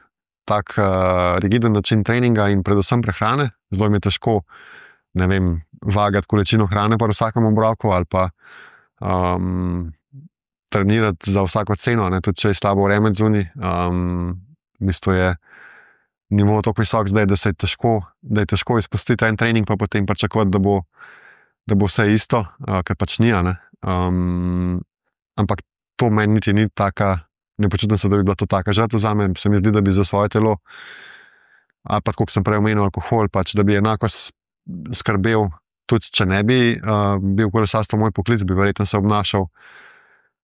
tak uh, rigiden način treninga in predvsem prehrane. Zelo mi je težko, ne vem, vagati količino hrane po vsakem obroku ali pa um, trenirati za vsako ceno, ne, tudi če je slabo vreme zunaj. Um, v bistvu je nivo tako visok zdaj, da se je težko, da je težko izpustiti en trening, pa potem pričakovati, da bo, da bo vse isto, uh, ker pač ni. Um, ampak to meni niti ni taka. Ne počutim se, da bi bila to taka žrtev zame. Se mi zdi, da bi za svoje telo, ali pa, kot sem prej omenil, alkohol, pač, da bi enako skrbel, tudi če ne bi uh, bil kolesarstvo moj poklic, bi verjetno se obnašal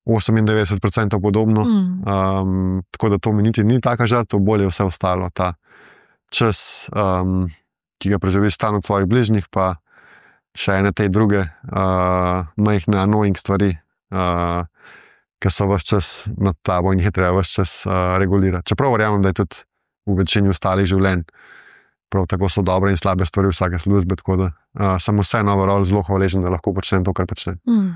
osemindevetdeset procentov podobno. Mm. Um, tako da to mi niti ni taka žrtev, bolje je vse ostalo. Ta čas, um, ki ga preživiš stalno od svojih bližnjih, pa še ene te druge uh, majhne annoying stvari, uh, ki so vse čas nad tabo in jih je treba vse čas uh, regulirati. Čeprav verjamem, da je tudi v večini ostalih življenj prav tako so dobre in slabe stvari vsake službe, tako da uh, sem vseeno overall zelo hvaležen, da lahko počnem to, kar počnem. Mm.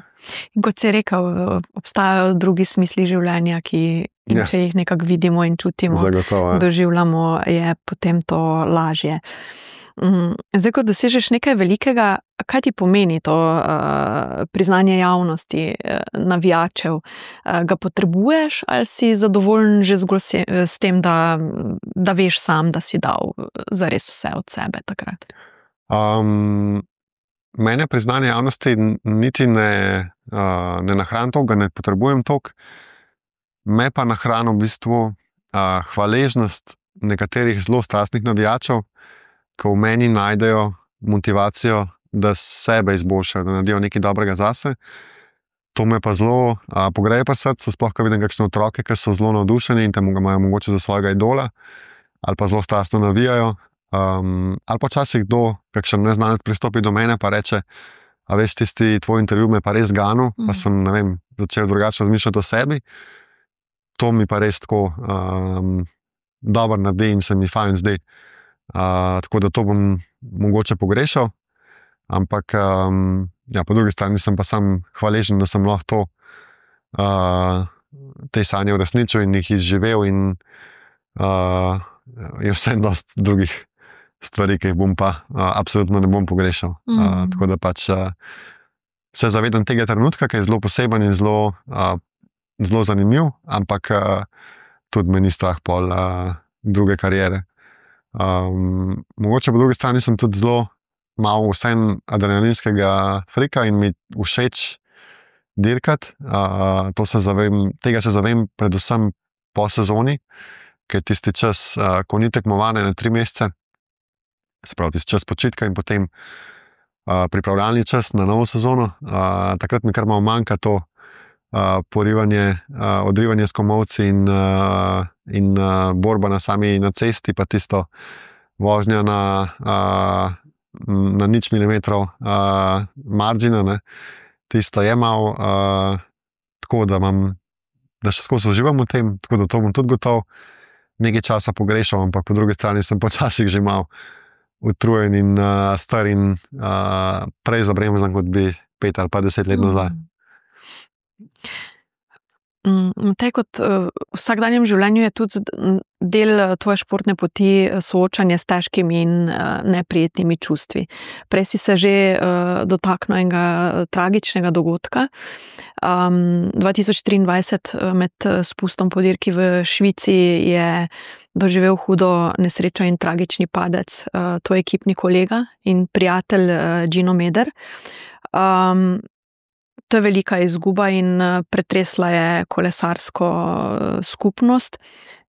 In kot si rekel, obstajajo drugi smisli življenja, ki in Ja. če jih nekako vidimo in čutimo, Zagotovo, ja. doživljamo, je potem to lažje. Mm, Zdaj, ko dosežeš nekaj velikega, kaj ti pomeni to uh, priznanje javnosti, uh, navijačev? Uh, ga potrebuješ ali si zadovoljen že zgolj se, s tem, da, da veš sam, da si dal zares vse od sebe takrat? Um, mene priznanje javnosti niti ne, uh, ne nahran toliko, ne potrebujem toliko. Me pa nahrani v bistvu uh, hvaležnost nekaterih zelo strastnih navijačev, ki v meni najdejo motivacijo, da sebe izboljšajo, da naredijo nekaj dobrega zase. To me pa zelo uh, pogreje pri srcu, sploh ko vidim kakšne otroke, ki so zelo navdušeni in te imajo mogoče za svojega idola, ali pa zelo strastno navijajo. Um, ali pa včasih kdo, kakšen neznanec pristopi do mene pa reče, a veš, tisti tvoj intervju me pa res ganil, mm. pa sem, ne vem, začel drugače razmišljati o sebi. To mi pa res tako um, dobro naredi in se mi fajn zdi. Uh, tako da to bom mogoče pogrešal, ampak um, ja, po drugi strani sem pa sam hvaležen, da sem lahko to, uh, te sanje uresničil in jih izživel, in uh, je vse dosti drugih stvari, ki jih bom pa uh, absolutno ne bom pogrešal. Mm. Uh, tako da pač uh, se zavedam tega trenutka, ki je zelo poseben in zelo, uh, zelo zanimiv, ampak uh, tudi me ni strah pol uh, druge kariere. Um, mogoče po drugi strani sem tudi zelo malo vsem adrenalinskega frika in mi všeč dirkati. Uh, to se zavem, tega se zavem predvsem po sezoni, ker je tisti čas, uh, ko ni tekmovanje na tri mesece, se pravi tisti čas počitka in potem uh, pripravljalni čas na novo sezono. Uh, takrat mi kar malo manjka to uh, porivanje, uh, odrivanje s komolci in uh, in uh, borba na sami na cesti, pa tisto vožnja na, uh, na nič milimetrov uh, margina, ne. Tisto je malo uh, tako, da, imam, da še skozi uživam v tem, tako da to bom tudi gotov nekaj časa pogrešal, ampak po drugi strani sem počasih že malo utrujen in uh, star in uh, prej zabremzan, kot bi pet ali pa deset let nazaj. Te kot v vsakdanjem življenju je tudi del tvoje športne poti soočanje s težkimi in neprijetnimi čustvi. Prej si se že dotaknil enega tragičnega dogodka. dva tisoč triindvajset med spustom po dirki v Švici je doživel hudo nesrečo in tragični padec tvoj ekipni kolega in prijatelj Gino Meder. To je velika izguba in pretresla je kolesarsko skupnost.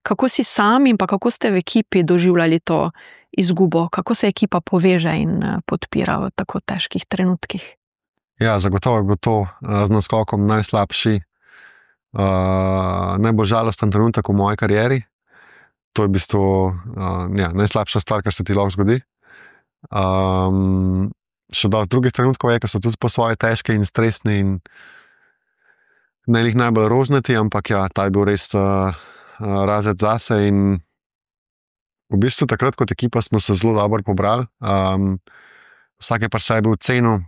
Kako si sam in pa kako ste v ekipi doživljali to izgubo? Kako se ekipa poveže in podpira v tako težkih trenutkih? Ja, zagotovo je bil to z naskokom najslabši, uh, najbolj žalosten trenutek v moji karieri. To je v bistvu uh, ja, najslabša stvar, kar se ti lahko zgodi. Um, Še do drugih trenutkov je, ki so tudi po svoje težke in stresni in ne jih najbolj rožnati, ampak ja, ta je bil res uh, uh, razred zase in v bistvu takrat kot ekipa smo se zelo dobro pobrali. Um, vsak je pri sebi ocenil,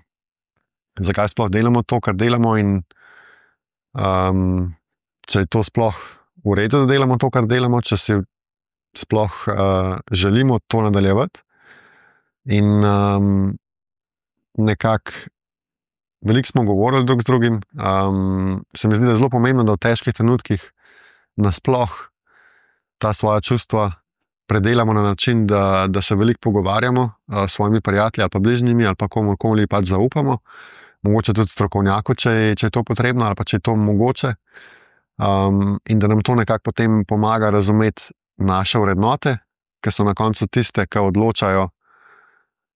zakaj sploh delamo to, kar delamo in um, če je to sploh v redu, da delamo to, kar delamo, če si sploh uh, želimo to nadaljevati. In um, nekako veliko smo govorili drug z drugim. Um, se mi zdi, da je zelo pomembno, da v težkih trenutkih nasploh ta svoja čustva predelamo na način, da, da se veliko pogovarjamo uh, s svojimi prijatelji ali pa bližnjimi ali pa komorkoli pač zaupamo. Mogoče tudi strokovnjaku, če, če je to potrebno ali pa če je to mogoče. Um, in da nam to nekako potem pomaga razumeti naše vrednote, ki so na koncu tiste, ki odločajo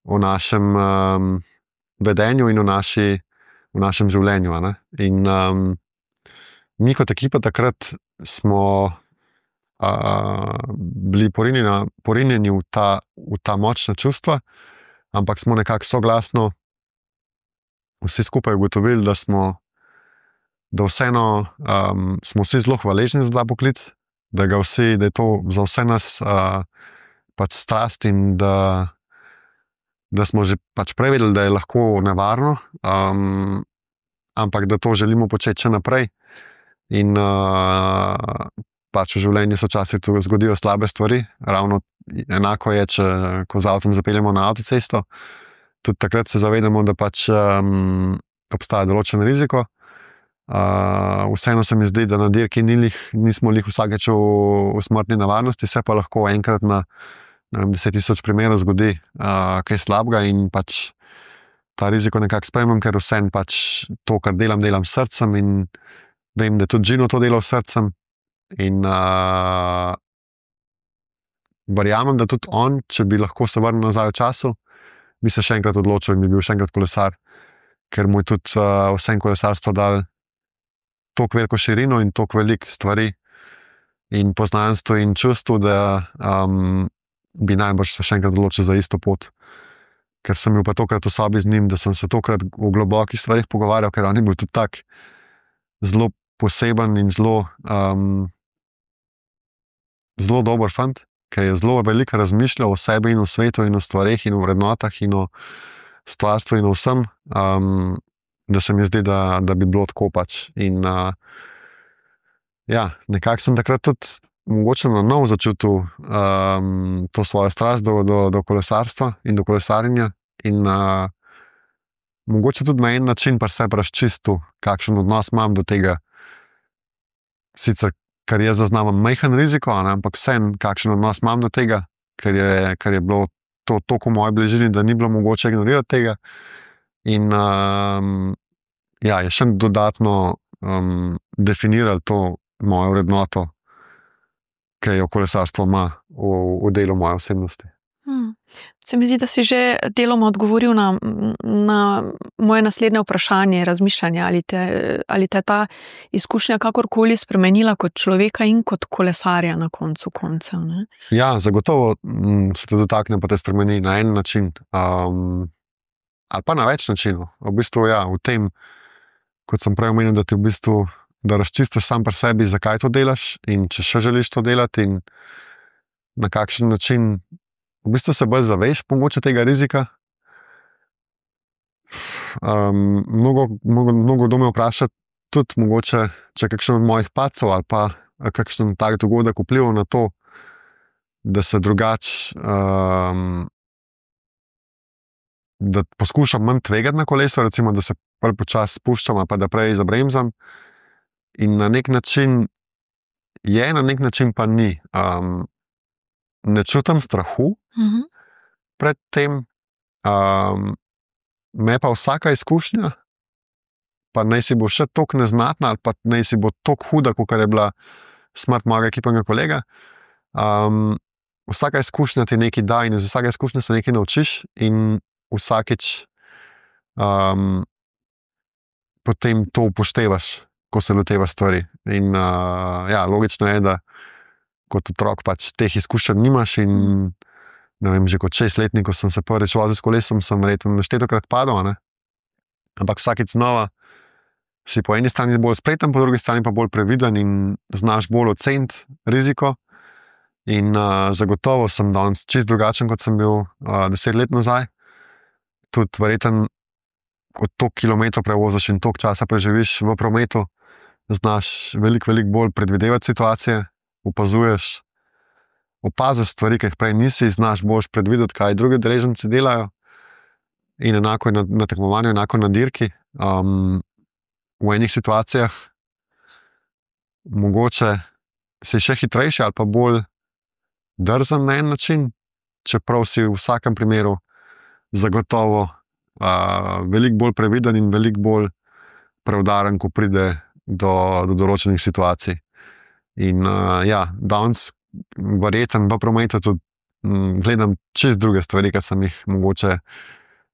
o našem um, vedenju in v, naši, v našem življenju. Ne? In um, mi kot ekipa takrat smo uh, bili porinjeni, porinjeni v, ta, v ta močna čustva, ampak smo nekako soglasno vsi skupaj ugotovili, da smo da vseeno um, smo vsi zelo hvaležni za ta poklic, da, ga vsi, da je to za vse nas uh, pač strast in da da smo že pač prevedeli, da je lahko nevarno, um, ampak da to želimo početi še naprej. In uh, pač v življenju se včasih zgodijo slabe stvari. Ravno enako je, če ko z avtom zapeljemo na avtocesto. Tudi takrat se zavedamo, da pač um, obstaja določen riziko. Uh, vseeno se mi zdi, da na dirki ni lih, nismo lih vsakeč v, v smrtni nevarnosti, se pa lahko enkrat na deset tisoč primerov zgodi uh, kaj slabega in pač ta riziko nekako sprejmem, ker vsem pač to, kar delam, delam s srcem in vem, da tudi Gino to dela s srcem in uh, verjamem, da tudi on, če bi lahko se vrnil nazaj v času, bi se še enkrat odločil in bi bil še enkrat kolesar, ker mu je tudi uh, vsem kolesarstvo dal toliko veliko širino in toliko veliko stvari in poznanstvo in čustvo, da um, bi najbrž se še enkrat odločil za isto pot. Ker sem bil pa tokrat v sobi z njim, da sem se tokrat v globokih stvarih pogovarjal, ker on je bil tudi tak zelo poseben in zelo um, zelo dober fant, ki je zelo veliko razmišljal o sebi in o svetu in o stvareh in o vrednotah in o stvarstvu in o vsem, um, da se mi zdi, da, da bi bilo tako pač. In uh, ja, nekako sem takrat tudi mogoče na novo začutil um, to svojo strast do, do, do kolesarstva in do kolesarjenja in uh, mogoče tudi na en način pa se razčistil, kakšen odnos imam do tega. Sicer, ker je zaznaven majhen riziko, ne, ampak vsem, kakšen odnos imam do tega, ker je, ker je bilo to toliko v moji bližini, da ni bilo mogoče ignorirati tega. In um, ja, je še dodatno um, definiralo to mojo vrednoto, ki jo kolesarstvo ima v, v delu moje osebnosti. Hmm. Se mi zdi, da si že deloma odgovoril na, na moje naslednje vprašanje, razmišljanje, ali te, ali te ta izkušnja kakorkoli spremenila kot človeka in kot kolesarja na koncu koncev. Ne? Ja, zagotovo m, se te dotakne, pa te spremeni na en način. Um, ali pa na več načinov. V bistvu, ja, v tem, kot sem prej omenil, da ti v bistvu da razčistiš sam pri sebi, zakaj to delaš in če še želiš to delati in na kakšen način v bistvu se bolj zaveš mogoče tega rizika. Um, mnogo, mnogo, mnogo kdo me vpraša, tudi mogoče, če kakšen od mojih pacov ali pa kakšen tak dogodek vplival na to, da se drugače, um, da poskušam manj tvegati na kolesu, recimo, da se prej počasi spuščam, pa da prej zabremzam. In na nek način je, na nek način pa ni. Um, ne čutim strahu Mhm. pred tem, um, me pa vsaka izkušnja, pa naj si bo še toliko neznatna, ali pa naj si bo toliko huda, kot je bila smrt mojega ekipnega kolega. Um, vsaka izkušnja ti nekaj da in iz vsake izkušnje se nekaj naučiš in vsakič um, potem to upoštevaš, ko se lotevaš stvari. In uh, ja, logično je, da kot otrok pač teh izkušenj nimaš in ne vem, že kot šestletnik, ko sem se prvič vozil s kolesom, sem verjetno neštetokrat padal, ne? Ampak vsakič znova si po eni strani bolj spreten, po drugi strani pa bolj previden in znaš bolj oceniti riziko. In uh, zagotovo sem danes čist drugačen, kot sem bil uh, deset let nazaj. Tudi verjetno, kot toliko kilometrov prevoziš in toliko časa preživiš v prometu, znaš veliko, veliko bolj predvidevati situacije, opazuješ, opaziš stvari, ki jih prej nisi, znaš boljš predvideti, kaj drugi udeleženci delajo. In enako je na, na tekmovanju, enako na dirki. Um, v enih situacijah mogoče si še hitrejši ali pa bolj drzen na en način, čeprav si v vsakem primeru zagotovo uh, veliko bolj previden in veliko bolj preudaren, ko pride do, do določenih situacij. In uh, ja, danes verjetno v prometu tudi m, gledam čist druge stvari, kot sem jih mogoče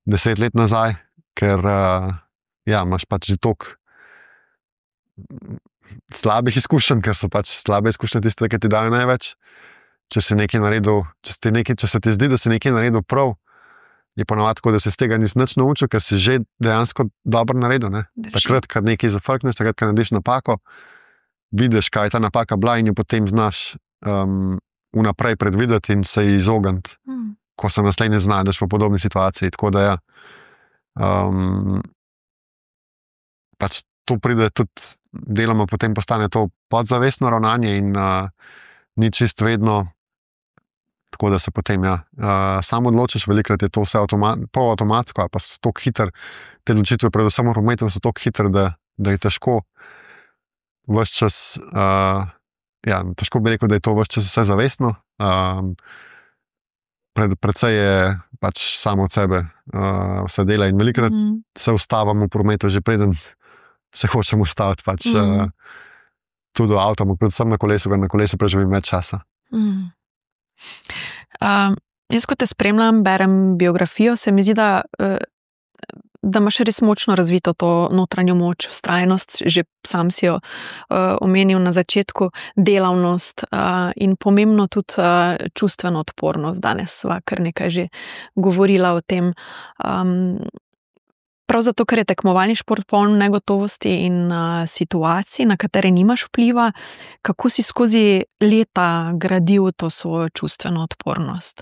deset let nazaj, ker uh, ja, imaš pač že toliko slabih izkušenj, ker so pač slabe izkušnje tiste, ki ti dajo največ. Če si nekaj naredil, če, si nekaj, če se ti zdi, da si nekaj naredil prav, je ponovadi tako, da se iz tega nisi nič naučil, ker si že dejansko dobro naredil. Ne? Takrat, ko nekaj zafrkneš, takrat, ko narediš napako, vidiš, kaj je ta napaka bila in jo potem znaš um, vnaprej predvideti in se ji izogniti, mm. ko se naslednje znajdeš v podobni situaciji. Tako da ja, um, pač to pride tudi deloma, potem postane to podzavestno ravnanje in uh, ni čist vedno, tako da se potem ja, uh, sam odločiš, velikrat je to vse avtomat, polavtomatsko, ali pa so tako hiter, te odločitve, predvsem v prometu, so tako hiter, da, da je težko ves čas, uh, ja, težko bi rekel, da je to ves čas vse zavestno. Um, pred, predvsej je pač samo od sebe uh, vse dela in velikrat mm. se ustavamo v prometu, že preden se hočemo ustaviti, pač mm. uh, tudi v avtu, predvsem na kolesu, ker na kolesu preživim več časa. Mm. Um, jaz, ko te spremljam, berem biografijo, se mi zdi, da, da imaš res močno razvito to notranjo moč, vztrajnost, že sam si jo uh, omenil na začetku, delavnost uh, in pomembno tudi uh, čustveno odpornost. Danes sva kar nekaj že govorila o tem. Um, Prav zato, ker je tekmovalni šport poln negotovosti in uh, situacij, na katere nimaš vpliva, kako si skozi leta gradil to svojo čustveno odpornost?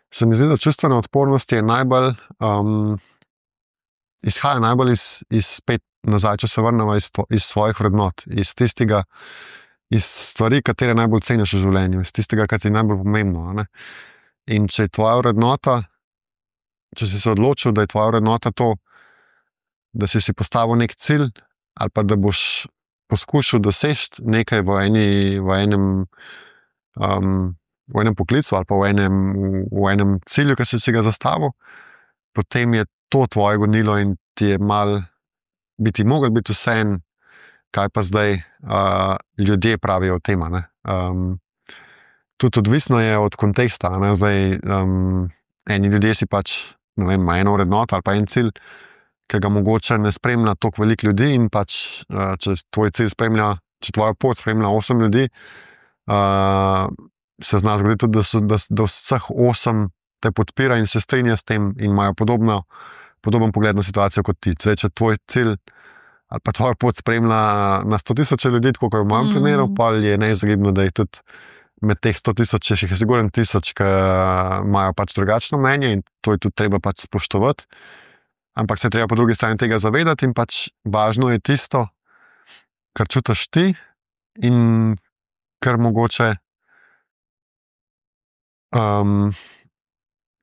Se mi zdi, da čustvena odpornost je najbolj, um, izhaja najbolj iz, iz spet nazaj, če se vrnemo iz, iz svojih vrednot, iz tistega, iz stvari, katere najbolj ceniš v življenju, iz tistega, kar ti je najbolj pomembno. Ne? In če je tvoja vrednota, če si se odločil, da je tvoja vrednota to, da si si postavil nek cilj, ali pa da boš poskušal doseči nekaj v, eni, v, enem, um, v enem poklicu ali pa v enem, v enem cilju, ki si si ga zastavil, potem je to tvoje gonilo in ti je mal, bi ti mogel biti vseeno, kaj pa zdaj uh, ljudje pravijo o tem. Um, tudi odvisno je od konteksta. Ne? Zdaj, um, eni ljudje si pač, ne vem, ima eno vrednoto ali pa en cilj, ki ga mogoče ne spremlja toliko veliko ljudi in pač, če tvoj cilj spremlja, če tvoja pot spremlja osem ljudi, uh, se zna zgoditi tudi, da, so, da, da vseh osem te podpira in se strinja s tem in imajo podobno, podoben pogled na situacijo kot ti. Zdaj, če tvoj cilj ali pa tvoja pot spremlja na sto tisoč ljudi, tako kot v mojem mm. primeru, pa je neizogibno, da je tudi med teh sto tisoč, jih je sigurno tisoč, ki imajo pač drugačno mnenje in to je tudi treba pač spoštovati. Ampak se treba po drugi strani tega zavedati in pač važno je tisto, kar čutiš ti in kar mogoče, um,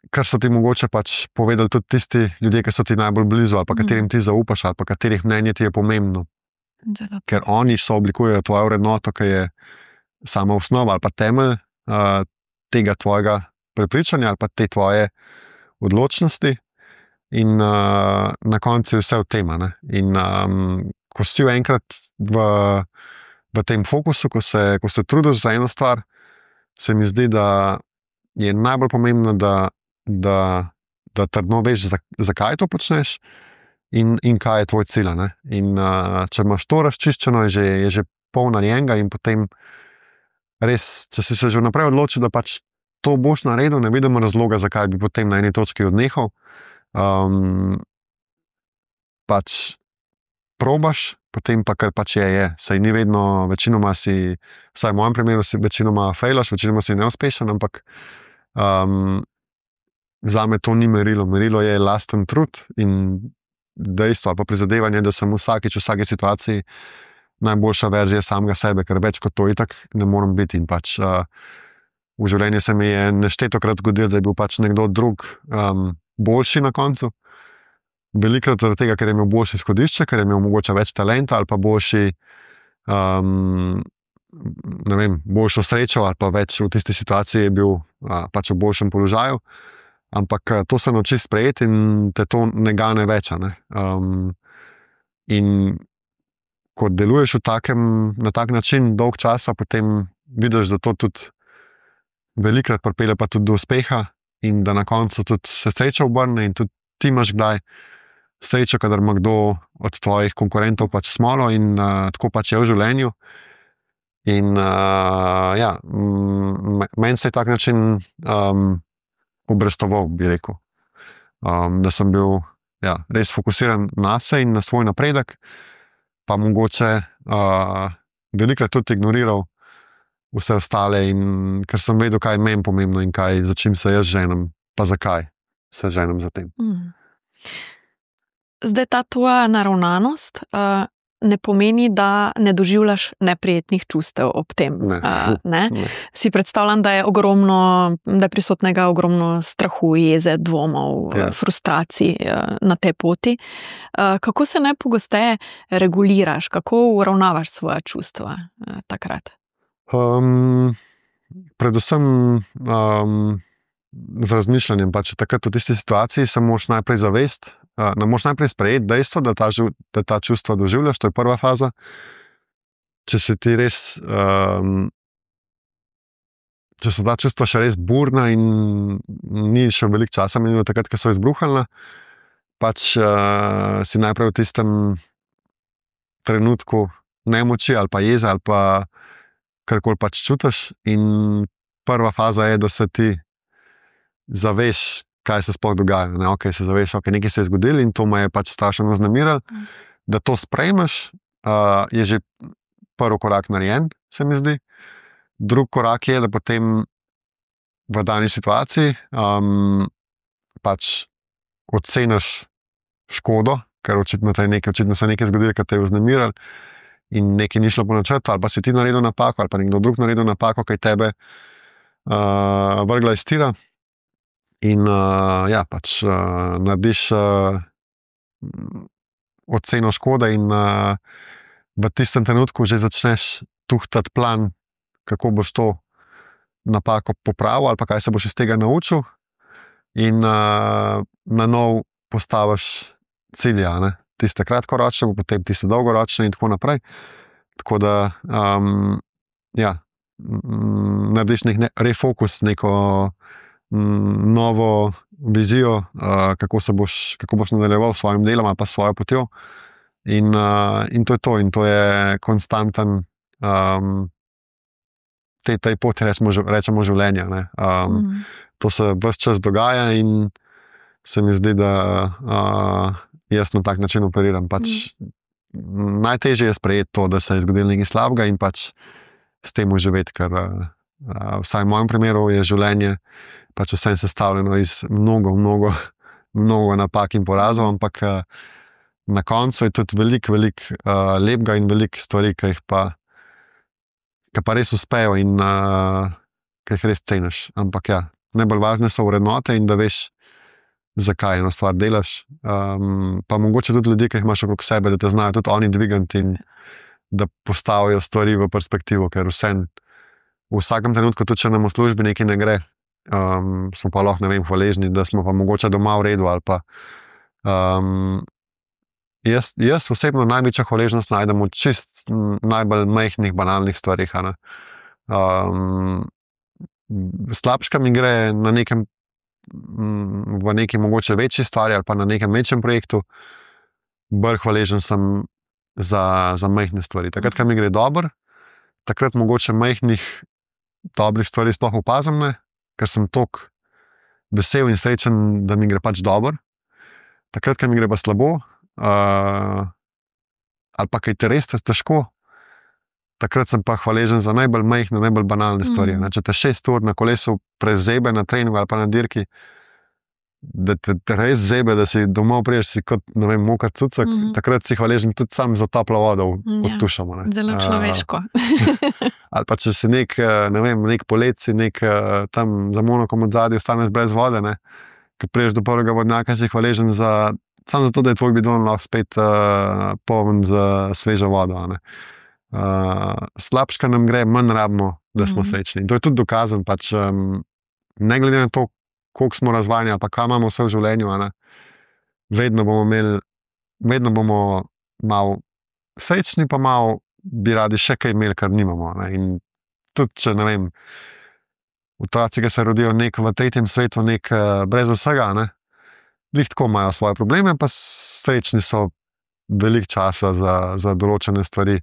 kar so ti mogoče pač povedali tudi tisti ljudje, ki so ti najbolj blizu, ali pa katerim ti zaupaš, ali pa katerih mnenje ti je pomembno. Zelo. Ker oni so oblikujejo tvojo vrednoto, ki je sama osnova ali pa temelj uh, tega tvojega prepričanja ali pa te tvoje odločnosti. In uh, na koncu je vse v tem. In um, ko si enkrat v, v tem fokusu, ko se, ko se trudiš za eno stvar, se mi zdi, da je najbolj pomembno, da, da, da trdno veš, zakaj to počneš in, in kaj je tvoj cilj. In uh, če imaš to razčiščeno, je že, je že pol narejenega in potem res, če si se že vnaprej odločil, da pač to boš naredil, ne vidimo razloga, zakaj bi potem na eni točki odnehal. Um, pač probaš, potem pa kar pač je, je. Saj ni vedno, večinoma si, vsaj v mojem primeru si večinoma failaš, večinoma si neuspešen, ampak um, zame to ni merilo. Merilo je lasten trud in dejstvo ali pa prizadevanje, da sem vsakič v vsaki situaciji najboljša verzija samega sebe, ker več kot to itak ne morem biti. In pač uh, v življenju se mi je neštetokrat zgodilo, da je bil pač nekdo drug um, boljši na koncu. Velikrat zaradi tega, ker je imel boljše izhodišče, ker je imel mogoče več talenta ali pa boljši, um, ne vem, boljšo srečo ali pa več v tisti situaciji je bil uh, pač v boljšem položaju. Ampak uh, to se nauči sprejeti in te to ne gane več. Ne? Um, in ko deluješ v takem, na tak način dolg časa, potem vidiš, da to tudi velikrat pripelje pa tudi do uspeha in da na koncu tudi se sreča obrne in tudi ti imaš kdaj srečo, kadar ima kdo od tvojih konkurentov pač smolo in uh, tako pač je v življenju. In uh, ja, meni se je tak način um, obrestoval, bi rekel. Um, da sem bil ja, res fokusiran na se in na svoj napredek, pa mogoče uh, velikrat tudi ignoriral vse ostale, in ker sem vedel, kaj je meni pomembno in kaj, za čim se jaz ženem, pa zakaj se ženem za tem. Mm. Zdaj, ta tvoja naravnanost uh, ne pomeni, da ne doživljaš neprijetnih čustev ob tem. Ne. Uh, ne? Ne. Si predstavljam, da je ogromno, da je prisotnega ogromno strahu, jeze, dvomov, Ja. frustracij uh, na tej poti. Uh, kako se najpogosteje reguliraš, kako uravnavaš svoja čustva uh, takrat? Um, predvsem um, z razmišljanjem. Pač takrat v tisti situaciji se moraš najprej zavest, uh, ne moraš najprej sprejeti dejstvo, da ta, da ta čustva doživljaš, to je prva faza. Če se ti res, um, če so ta čustva še res burna in ni še veliko časa minilo takrat, ko so izbruhalna, pač uh, si najprej v tistem trenutku nemoči ali pa jeze ali pa karkoli pač čutiš, in prva faza je, da se ti zaveš, kaj se sploh dogaja. Ne? Okay, se zaveš, ok, nekaj se je zgodilo in to me je pač strašno vznemirilo. Mm. Da to sprejmeš, uh, je že prvi korak narejen, se mi zdi. Drugi korak je, da potem v dani situaciji um, pač oceniš škodo, ker očitno, nekaj, očitno se je nekaj zgodilo, kar te je vznemirilo, in nekaj ni šlo po načrtu, ali pa si ti naredil napako, ali pa nekdo drug naredil napako, kaj tebe uh, vrgla iz tira. In uh, ja, pač uh, narediš uh, oceno škode in uh, v tistem trenutku že začneš tuhtati plan, kako boš to napako popravil ali pa kaj se boš iz tega naučil, in uh, na nov postaviš cilja, ne? Tiste kratkoročne, potem tiste dolgoročne in tako naprej. Tako da um, ja, narediš nek ne, refokus, neko m, novo vizijo, uh, kako se boš, kako boš nadaljeval s svojim delom ali pa s svojo potjo. In, uh, in to je to, in to je konstanten um, tej, tej poti, rečemo, rečemo življenja. Ne? Um, mm. To se ves čas dogaja in se mi zdi, da uh, jaz na tak način operiram. Pač mm. najtežje je sprejeti to, da se je zgodilo nekaj slabega in pač s tem uživeti, ker uh, vsaj v mojem primeru je življenje pač vse sestavljeno iz mnogo, mnogo, mnogo napak in porazov, ampak uh, na koncu je tudi veliko, veliko uh, lepega in veliko stvari, ki jih pa, ki pa res uspejo in uh, ki jih res ceniš. Ampak ja, najbolj važne so vrednote in da veš, zakaj eno stvar delaš. Um, pa mogoče tudi ljudi, ki jih imaš okrog sebe, da te znajo tudi oni dvigati in da postavijo stvari v perspektivo, ker vsem v vsakem trenutku, tudi če nam v službi nekaj ne gre, um, smo pa lahko, ne vem, hvaležni, da smo pa mogoče doma v redu ali pa um, jaz, jaz osebno največja hvaležnost najdem v čist najbolj majhnih, banalnih stvarih. Um, slabška mi gre na nekem v neki mogoče večji stvari ali pa na nekem večjem projektu, bolj hvaležen sem za, za majhne stvari. Takrat, ko mi gre dobro, takrat mogoče majhnih dobrih stvari sploh opazim ne, ker sem toliko vesel in srečen, da mi gre pač dobro. Takrat, ko mi gre pa slabo, uh, ali pa kaj te res težko, takrat sem pa hvaležen za najbolj majhne, najbolj banalne stvari. Mm. Če te šest ur na kolesu prezebe na treningu ali pa na dirki, da te, te res zebe, da si domov priješ, si kot, ne vem, mokar cucek, mm. takrat si hvaležen tudi sam za toplo vodo pod tušamo. Ja, zelo človeško. Uh, ali pa če si nek, ne vem, nek polet, si nek tam za monokom od zadnji ostaneš brez vode, ne, ko priješ do prvega vodnjaka, si hvaležen za, samo zato, da je tvoj bidon lahko spet uh, poln z svežo vodo. Ne. Uh, slabška nam gre, manj rabimo, da smo mm. srečni. In to je tudi dokazan, pač um, ne glede na to, koliko smo razvajeni ali pa kaj imamo vse v življenju, ne, vedno bomo imeli, vedno bomo malo srečni, pa malo bi radi še kaj imeli, kar nimamo. Ne. In tudi, če ne vem, otroci, ki se rodijo nek v tretjem svetu, nek uh, brez vsega, ne, lih tako imajo svoje probleme, pa srečni so veliko časa za, za določene stvari,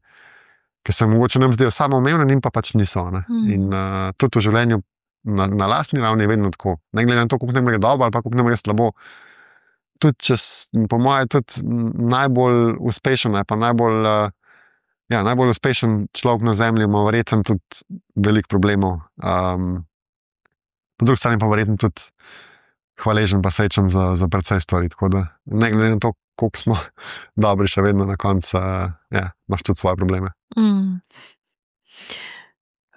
ki se mogoče nam zdijo samoumevne, in pa pač niso. Ne. Mm. In uh, tudi v življenju na, na lastni ravni je vedno tako. Ne glede na to, koliko nam gre dobro ali pa koliko nam gre slabo. Tudi, če, po mojem, tudi najbolj uspešen, pa najbolj, uh, ja, najbolj uspešen človek na zemlji ima verjetno tudi veliko problemov. Um, po drugi strani pa verjetno tudi hvaležen pa srečen za, za precej stvari. Tako da, ne glede na to, koliko smo dobri, še vedno na koncu, uh, ja, imaš tudi svoje probleme. Mm.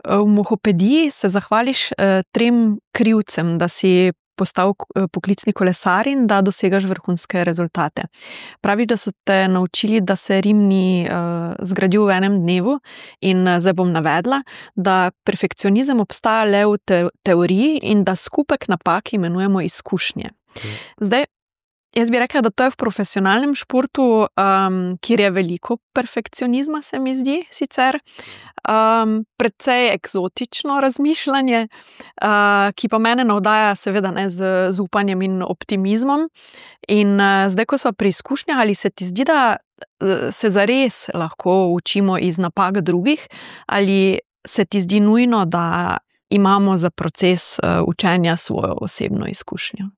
V Mohopediji se zahvališ eh, trem krivcem, da si postal poklicni kolesar in da dosegaš vrhunske rezultate. Praviš, da so te naučili, da se Rim ni uh, zgradil v enem dnevu in uh, zdaj bom navedla, da perfekcionizem obstaja le v te teoriji in da skupek napak imenujemo izkušnje. Zdaj, jaz bi rekla, da to je v profesionalnem športu, um, kjer je veliko perfekcionizma, se mi zdi sicer, um, precej eksotično razmišljanje, uh, ki pa mene navdaja seveda ne, z, z upanjem in optimizmom. In uh, zdaj, ko smo pri izkušnjah, ali se ti zdi, da se zares lahko učimo iz napak drugih, ali se ti zdi nujno, da imamo za proces uh, učenja svojo osebno izkušnjo?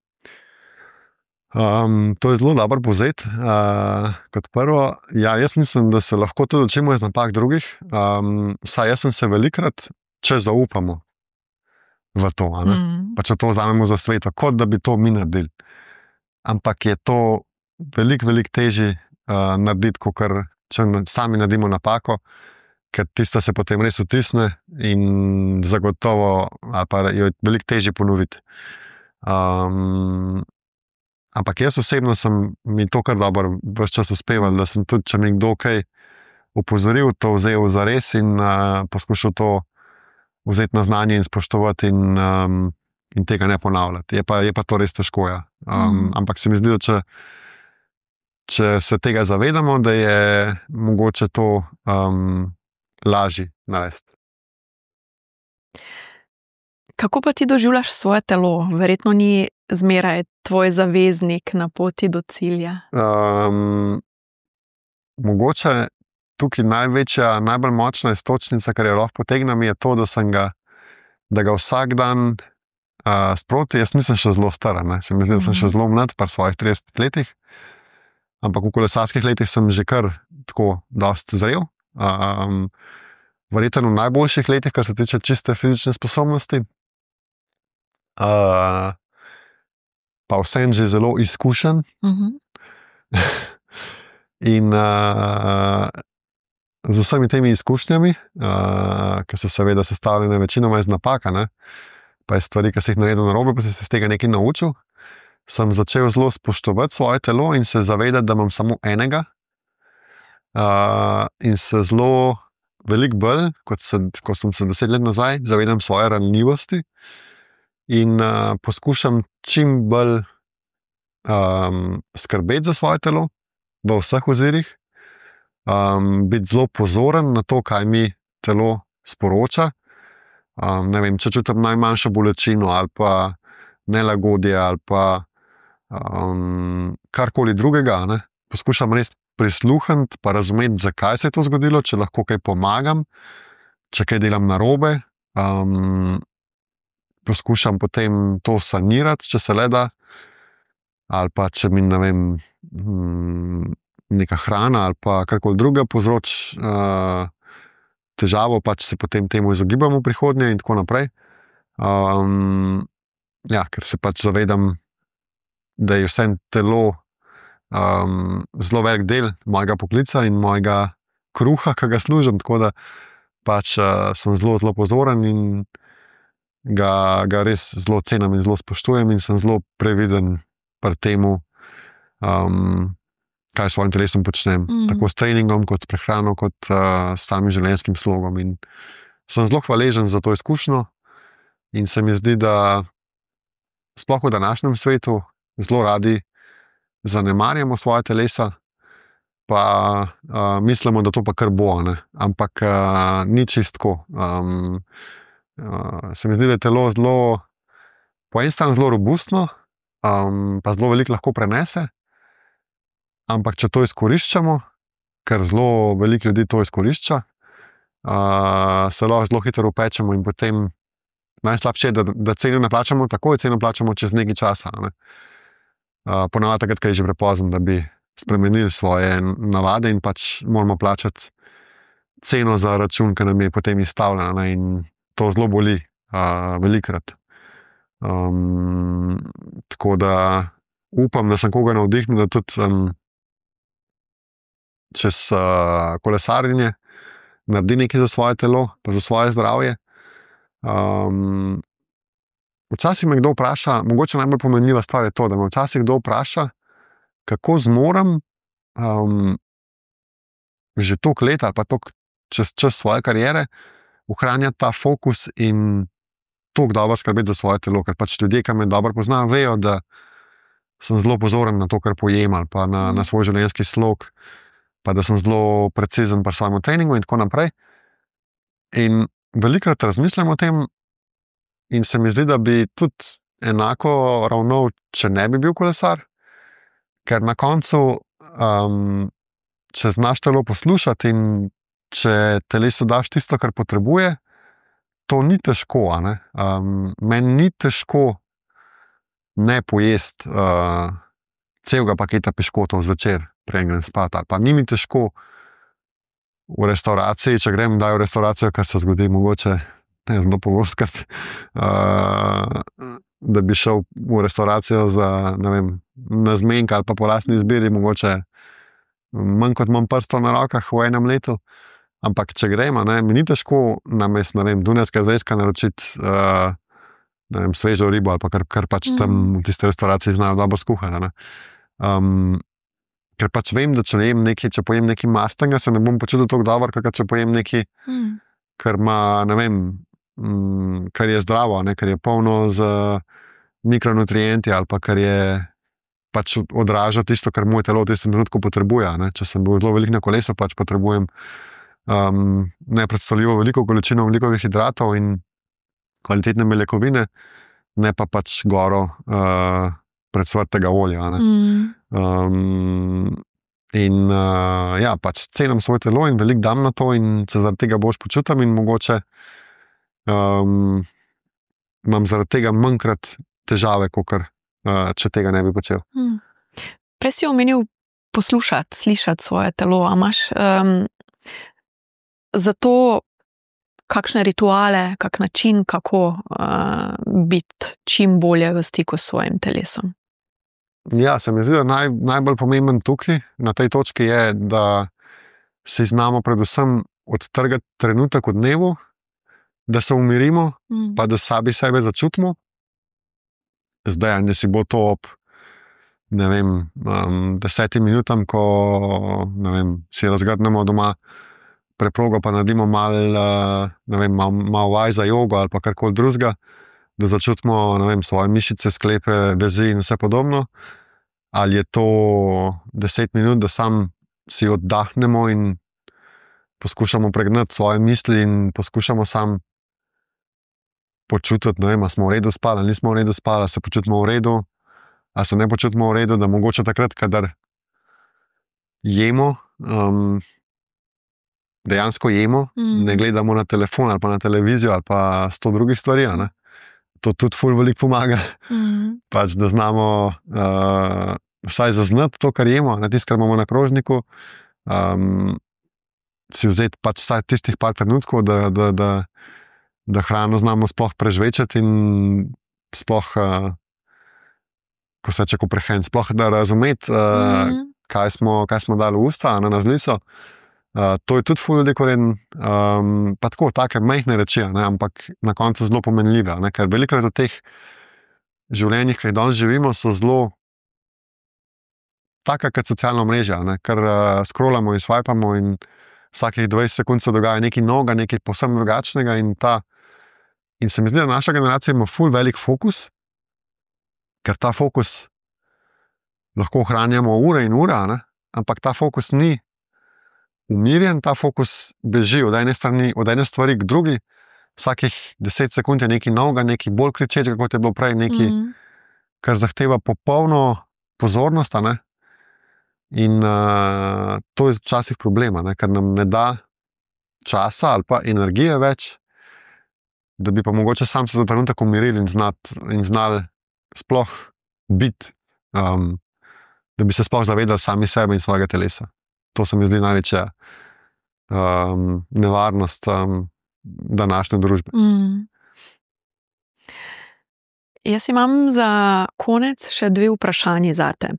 Um, to je zelo dobro povzeti. Uh, kot prvo, ja, jaz mislim, da se lahko tudi učimo iz napak drugih. Um, saj jaz sem se velikrat, če zaupamo v to, mm. pa če to vzamemo za sveto, kot da bi to mi naredili. Ampak je to veliko, veliko težje uh, narediti, kot če sami naredimo napako, ker tista se potem res vtisne in zagotovo, ali pa jo je veliko težje ponoviti. Um, Ampak jaz osebno sem mi to kar dobro ves čas uspeval, da sem tudi, če mi kdo kaj opozoril, to vzel za res in uh, poskušal to vzeti na znanje in spoštovati in, um, in tega ne ponavljati. Je pa, je pa to res težko. Ja. Um, mm. Ampak se mi zdi, da če, če se tega zavedamo, da je mogoče to um, lažje narediti. Kako pa ti doživljaš svoje telo? Verjetno ni zmeraj tvoj zaveznik na poti do cilja. Um, mogoče tukaj največja, najbolj močna iztočnica, kar je lahko potegnem, je to, da sem ga, da ga vsak dan uh, sproti. Jaz nisem še zelo star, ne? Se mi zdi, da sem še zelo mlad, par svojih tridesetih letih, ampak v kolesarskih letih sem že kar tako dosti zrel. Um, verjetno v najboljših letih, kar se tiče čiste fizične sposobnosti. Uh, pa vsem že zelo izkušen. Uh-huh. In uh, z vsemi temi izkušnjami, uh, ki so seveda sestavljene večinoma iz napaka, ne, pa iz stvari, ki si jih naredil narobe, pa si se iz tega nekaj naučil, sem začel zelo spoštovati svoje telo in se zavedati, da imam samo enega. Uh, in se zelo veliko bolj, kot, se, kot sem se deset let nazaj, zavedam svoje ranljivosti in uh, poskušam čim bolj um, skrbeti za svoje telo v vseh ozirih, um, biti zelo pozoren na to, kaj mi telo sporoča. Um, ne vem, če čutim najmanjšo bolečino ali pa nelagodje ali pa um, karkoli drugega, ne, poskušam res prisluhniti pa razumeti, zakaj se je to zgodilo, če lahko kaj pomagam, če kaj delam narobe. Um, poskušam potem to sanirati, če se le da, ali pa če mi, ne vem, neka hrana ali pa karkoli druga povzroči uh, težavo, pač se potem temu izogibam v prihodnje in tako naprej. Um, ja, ker se pač zavedam, da je vse telo um, zelo velik del mojega poklica in mojega kruha, ki ga služim, tako da pač uh, sem zelo, zelo pozoren in ga, ga res zelo cenim in zelo spoštujem in sem zelo previden pri temu, um, kaj s svojim telesom počnem. Mm. Tako s treningom, kot s prehrano, kot uh, s samim življenjskim slogom. In sem zelo hvaležen za to izkušnjo in se mi zdi, da sploh v današnjem svetu zelo radi zanemarjamo svoje telesa, pa uh, mislimo, da to pa kar bo, ne? Ampak uh, ni čistko. Um, uh, se mi zdi, da je telo zelo, po eni strani zelo robustno, um, pa zelo veliko lahko prenese, ampak če to izkoriščamo, ker zelo veliko ljudi to izkorišča, uh, se lahko zelo hitro upečemo in potem najslabše je, da, da ceno ne plačamo takoj, ceno plačamo čez nekaj časa. Ne? Uh, ponavadi takrat, ko je že prepozno, da bi spremenili svoje navade in pač moramo plačati ceno za račun, ki nam je potem izstavljena, ne? In to zelo boli uh, velikrat. Um, tako da upam, da sem koga navdihnil, da tudi um, čez uh, kolesarjenje naredi nekaj za svoje telo, pa za svoje zdravje. Um, včasih me kdo vpraša, mogoče najbolj pomenljiva stvar je to, da me včasih kdo vpraša, kako zmorem um, že toliko let ali pa toliko čez čas svoje kariere ohranjati ta fokus in toliko dobro skrbeti za svoje telo, ker pač ljudje, ki me dobro poznajo, vejo, da sem zelo pozoren na to, kar pojem ali pa na, na svoj življenjski slog, pa da sem zelo precizen pri svojem treningu in tako naprej. In velikokrat razmišljam o tem in se mi zdi, da bi tudi enako ravnal, če ne bi bil kolesar, ker na koncu, um, če znaš telo poslušati in če telesu daš tisto, kar potrebuje, to ni težko. A ne? Um, meni ni težko ne pojesti uh, celega paketa piškotov zvečer, preden grem spat. Ali pa ni mi težko v restavraciji, če grem daj v restauracijo, kar se zgodi mogoče, ne znam pogostkrat, uh, da bi šel v restauracijo za, ne vem, na zmenka ali pa po lastni izbiri, mogoče manj kot imam prstov na rokah v enem letu. Ampak če gremo, ne, mi ni težko namest, ne vem, dunajska zrezka naročiti uh, ne vem, svežo ribo ali pa kar, kar pač mm. tam v tiste restauraciji znajo dobro skuhati. Ne. Um, ker pač vem, da če, nekaj, če pojem nekaj mastnega, se ne bom počutil tako dobro, kakor če pojem nekaj, mm. kar ima, ne vem, mm, kar je zdravo, ne, kar je polno z mikronutrienti ali pa kar je pač odraža tisto, kar moje telo v tistem trenutku potrebuje. Ne. Če sem bil zelo velik na kolesu, pač potrebujem Um, nepredstavljivo veliko količino velikih hidratov in kvalitetne beljakovine, ne pa pač goro uh, predsvrtega olja. Ne? Mm. Um, in uh, ja, pač cenim svoje telo in veliko dam na to in se zaradi tega boš počutim in mogoče um, imam zaradi tega manjkrat težave, kakor uh, če tega ne bi počel. Mm. Prej si omenil poslušati, slišati svoje telo, a imaš um, zato kakšne rituale, kak način, kako uh, biti čim bolje v stiku s svojim telesom? Ja, se mi zdi, da naj, najbolj pomemben tukaj, na tej točki je, da si znamo predvsem odtrgati trenutek v dnevu, da se umirimo, Mm. pa da sami sebe začutimo. Zdaj, ne si bo to ob ne vem, um, desetim minutam, ko ne vem, si razgrnemo doma preprogo, pa naredimo malo uh, ne vem, mal, mal vaj za jogo ali pa karkoli drugega, da začutimo ne vem, svoje mišice, sklepe, vezi in vse podobno. Ali je to deset minut, da sam si oddahnemo in poskušamo pregnati svoje misli in poskušamo sam počutiti, ne vem, ali smo v redu spali, ali nismo v redu spali, ali se počutimo v redu, ali se ne počutimo v redu, da mogoče takrat, kadar jemo, um, dejansko jemo, Mm. ne gledamo na telefon ali pa na televizijo ali pa sto drugih stvari, a ne. To tudi ful veliko pomaga, Mm. pač, da znamo uh, vsaj zaznati to, kar jemo, na tisto, kar imamo na krožniku, um, si vzeti pač vsaj tistih par trenutkov, da, da, da, da hrano znamo sploh prežvečati in sploh, uh, ko se reče, ko prehraniti, sploh da razumeti, uh, Mm. kaj, smo, kaj smo dali v usta, a ne na žlico. Uh, to je tudi ful ljudi koreden, um, pa tako, take majhne reči, a ne, ampak na koncu zelo pomenljive, a ne, ker velikokrat v teh življenjih, ki jih danes živimo, so zelo taka kot socialna mreža, ne, ker uh, scrollamo in swipamo in vsakih dvajset sekund se dogaja nekaj novega, nekaj povsem drugačnega in ta, in se mi zdi, da naša generacija ima ful velik fokus, ker ta fokus lahko ohranjamo ure in ure, a ne, ampak ta fokus ni umirjen, ta fokus beži od ene strani, od ene stvari k drugi, vsakih deset sekund je nekaj novega, nekaj bolj kričečega, kot je bilo prej, nekaj, Mm. kar zahteva popolno pozornost, a ne. In uh, to je včasih problema, ne, ker nam ne da časa ali pa energije več, da bi pa mogoče sam se za trenutek umirili in, znat, in znali sploh biti, um, da bi se sploh zavedali sami sebe in svojega telesa. To se mi zdi največja um, nevarnost um, današnje družbe. Mm. Jaz imam za konec še dve vprašanji zate.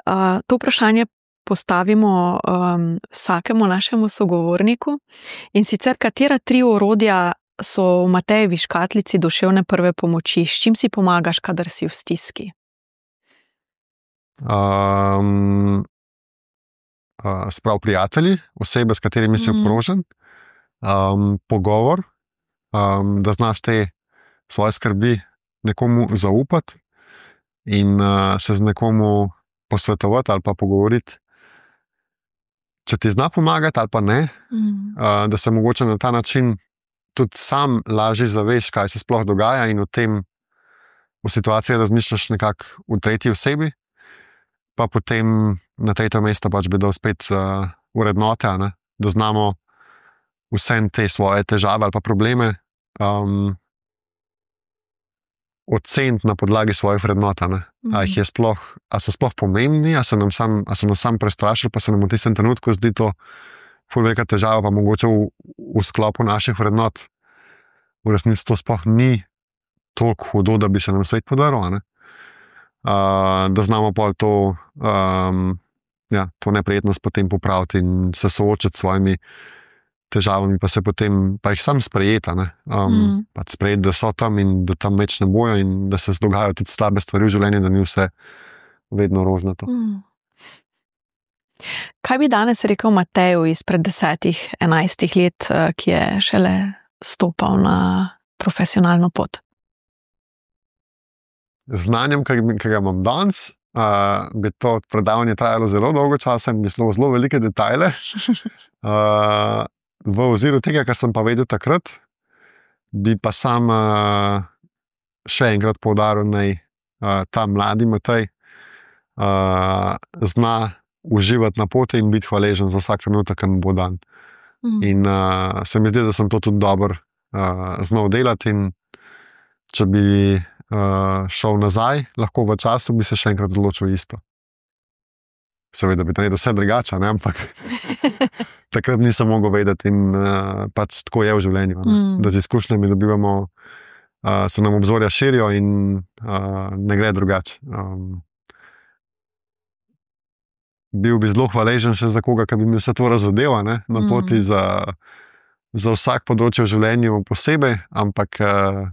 Uh, to vprašanje postavimo um, vsakemu našemu sogovorniku, in sicer, katera tri orodja so v Matejevi škatlici duševne prve pomoči, s čim si pomagaš, kadar si v stiski? Um, uh, sprav prijatelji, osebe, s katerimi si Mhm. obkrožen, um, pogovor, um, da znaš te svoje skrbi nekomu zaupati in uh, se z nekomu posvetovati ali pa pogovoriti, če ti zna pomagati ali pa ne, Mm. uh, da se mogoče na ta način tudi sam lažje zaveš, kaj se sploh dogaja, in o tem v situaciji razmišljaš nekako v tretji osebi, pa potem na tretje mesto pač bi dal spet uh, vrednote, a ne, da znamo vse te svoje težave ali pa probleme um, oceniti na podlagi svojih vrednot, a ne. A jih je sploh, a so sploh pomembni, a so nam sam, a so nas sam prestrašili, pa se nam v tistem trenutku zdi to ful velika težava, pa mogoče v, v sklopu naših vrednot v resnici to sploh ni toliko hudo, da bi se nam svet podaril, a ne. Uh, da znamo pol to, um, ja, to neprijetnost potem popraviti in se soočiti s svojimi težavami, pa se potem, pa jih sam sprejeti, a ne. Um, Mm. pač sprejeti, da so tam in da tam več ne bojo in da se dogajajo tudi slabe stvari v življenju, da ni vse vedno rožnato. Mm. Kaj bi danes rekel Mateju izpred desetih, enajstih let, eh, ki je šele stopal na profesionalno pot? Znanjem, ki ki ga imam danes, uh, bi to predavanje trajalo zelo dolgo časa in bi šlo v zelo velike detajle. Uh, v oziru tega, kar sem pa vedel takrat, bi pa sam uh, še enkrat poudaril, naj uh, ta mladi Matej uh, zna uživati na poti in biti hvaležen za vsak trenutek, ki mu bo dan. Mm. In uh, se mi zdi, da sem to tudi dobro uh, znal delati, in če bi uh, šel nazaj, lahko v času, bi se še enkrat odločil isto. Seveda bi naredil vse drugače, ne, ampak takrat nisem mogel vedeti in uh, pač tako je v življenju, ne, Mm. da z izkušnjami dobivamo, uh, se nam obzorja širijo in uh, ne gre drugače. Um, bil bi zelo hvaležen še za koga, ki bi mi vse to razodeva, ne, na poti mm. za, za vsak področje v življenju posebej, ampak uh,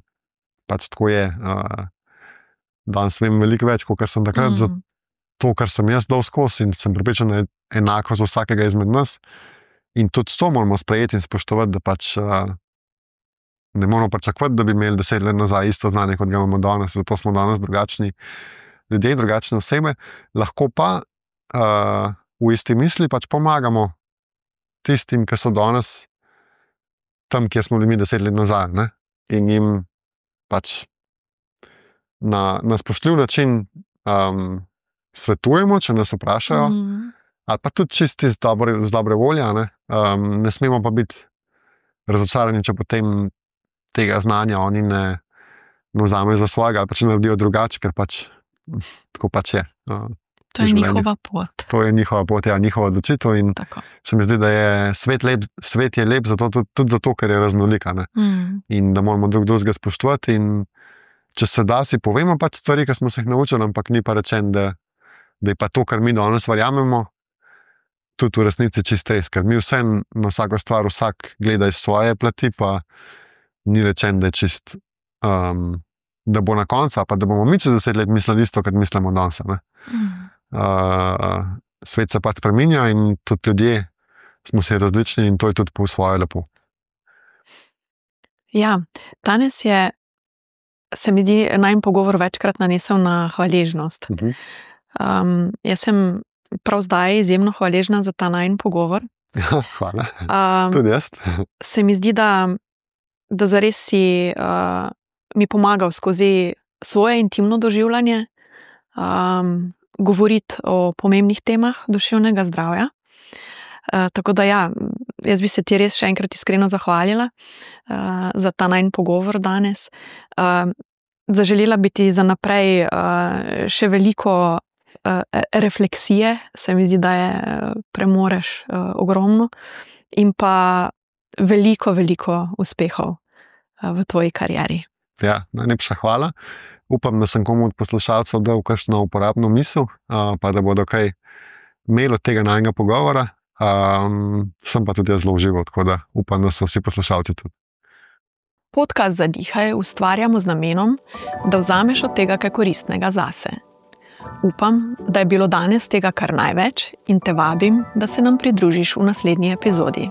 pač tako je. Uh, danes vem veliko več, kot sem takrat mm. za to, kar sem jaz dal skozi in sem pripričan, da je enako za vsakega izmed nas. In tudi to moramo sprejeti in spoštovati, da pač uh, ne moramo pričakovati, da bi imeli deset let nazaj isto znanje, kot ga imamo danes, zato smo danes drugačni ljudje, drugačne osebe. Lahko pa uh, v isti misli pač pomagamo tistim, ki so danes tam, kjer smo bili mi deset let nazaj, ne? In jim pač na, na spoštljiv način um, svetujemo, če nas vprašajo, mm. ali pa tudi čisti z dobre, z dobre volje. Ne? Um, ne smemo pa biti razočarani, če potem tega znanja oni ne, ne vzamejo za svojega, ali pa če naredijo drugače, ker pač tako pač je. Uh, to je njihova pot. To je njihova pot, ja, njihova odločitev. In tako. Se mi zdi, da je svet lep, svet je lep zato, tudi, tudi zato, ker je raznolika. Mm. In da moramo drug drugega spoštovati. In če se da, si povemo pač stvari, ki smo se jih naučili, ampak ni pa rečen, da, da je pa to, kar mi danes verjamemo, tudi v resnici čist res. Ker mi vse na vsako stvar, vsak gleda iz svoje plati, pa ni rečen, da je čist, um, da bo na koncu, pa da bomo mi čez deset let mislili isto, kot mislimo danes. Mm. Uh, svet se pač spreminja in tudi ljudje smo si različni in to je tudi po svoje lepo. Ja, danes je, se mi zdi, najin pogovor večkrat nanesel na hvaležnost. Uh-huh. Um, jaz sem prav zdaj izjemno hvaležna za ta najin pogovor. Ja, hvala. Um, tudi jaz. Se mi zdi, da da zares si uh, mi pomagal skozi svoje intimno doživljanje um, govoriti o pomembnih temah duševnega zdravja. Uh, tako da ja, jaz bi se ti res še enkrat iskreno zahvalila uh, za ta najin pogovor danes. Uh, zaželela bi ti za naprej uh, še veliko uh, refleksije, se mi zdi, da je premoreš uh, ogromno in pa veliko, veliko uspehov v tvoji karieri. Ja, najlepša hvala. Upam, da sem komu od poslušalcev dal kakšno uporabno misel, pa da bodo kaj imeli od tega najnega pogovora. Um, sem pa tudi jaz zelo užival, tako da upam, da so vsi poslušalci tudi. Podcast Zadihaj ustvarjamo z namenom, da vzameš od tega kaj koristnega zase. Upam, da je bilo danes tega kar največ in te vabim, da se nam pridružiš v naslednji epizodi.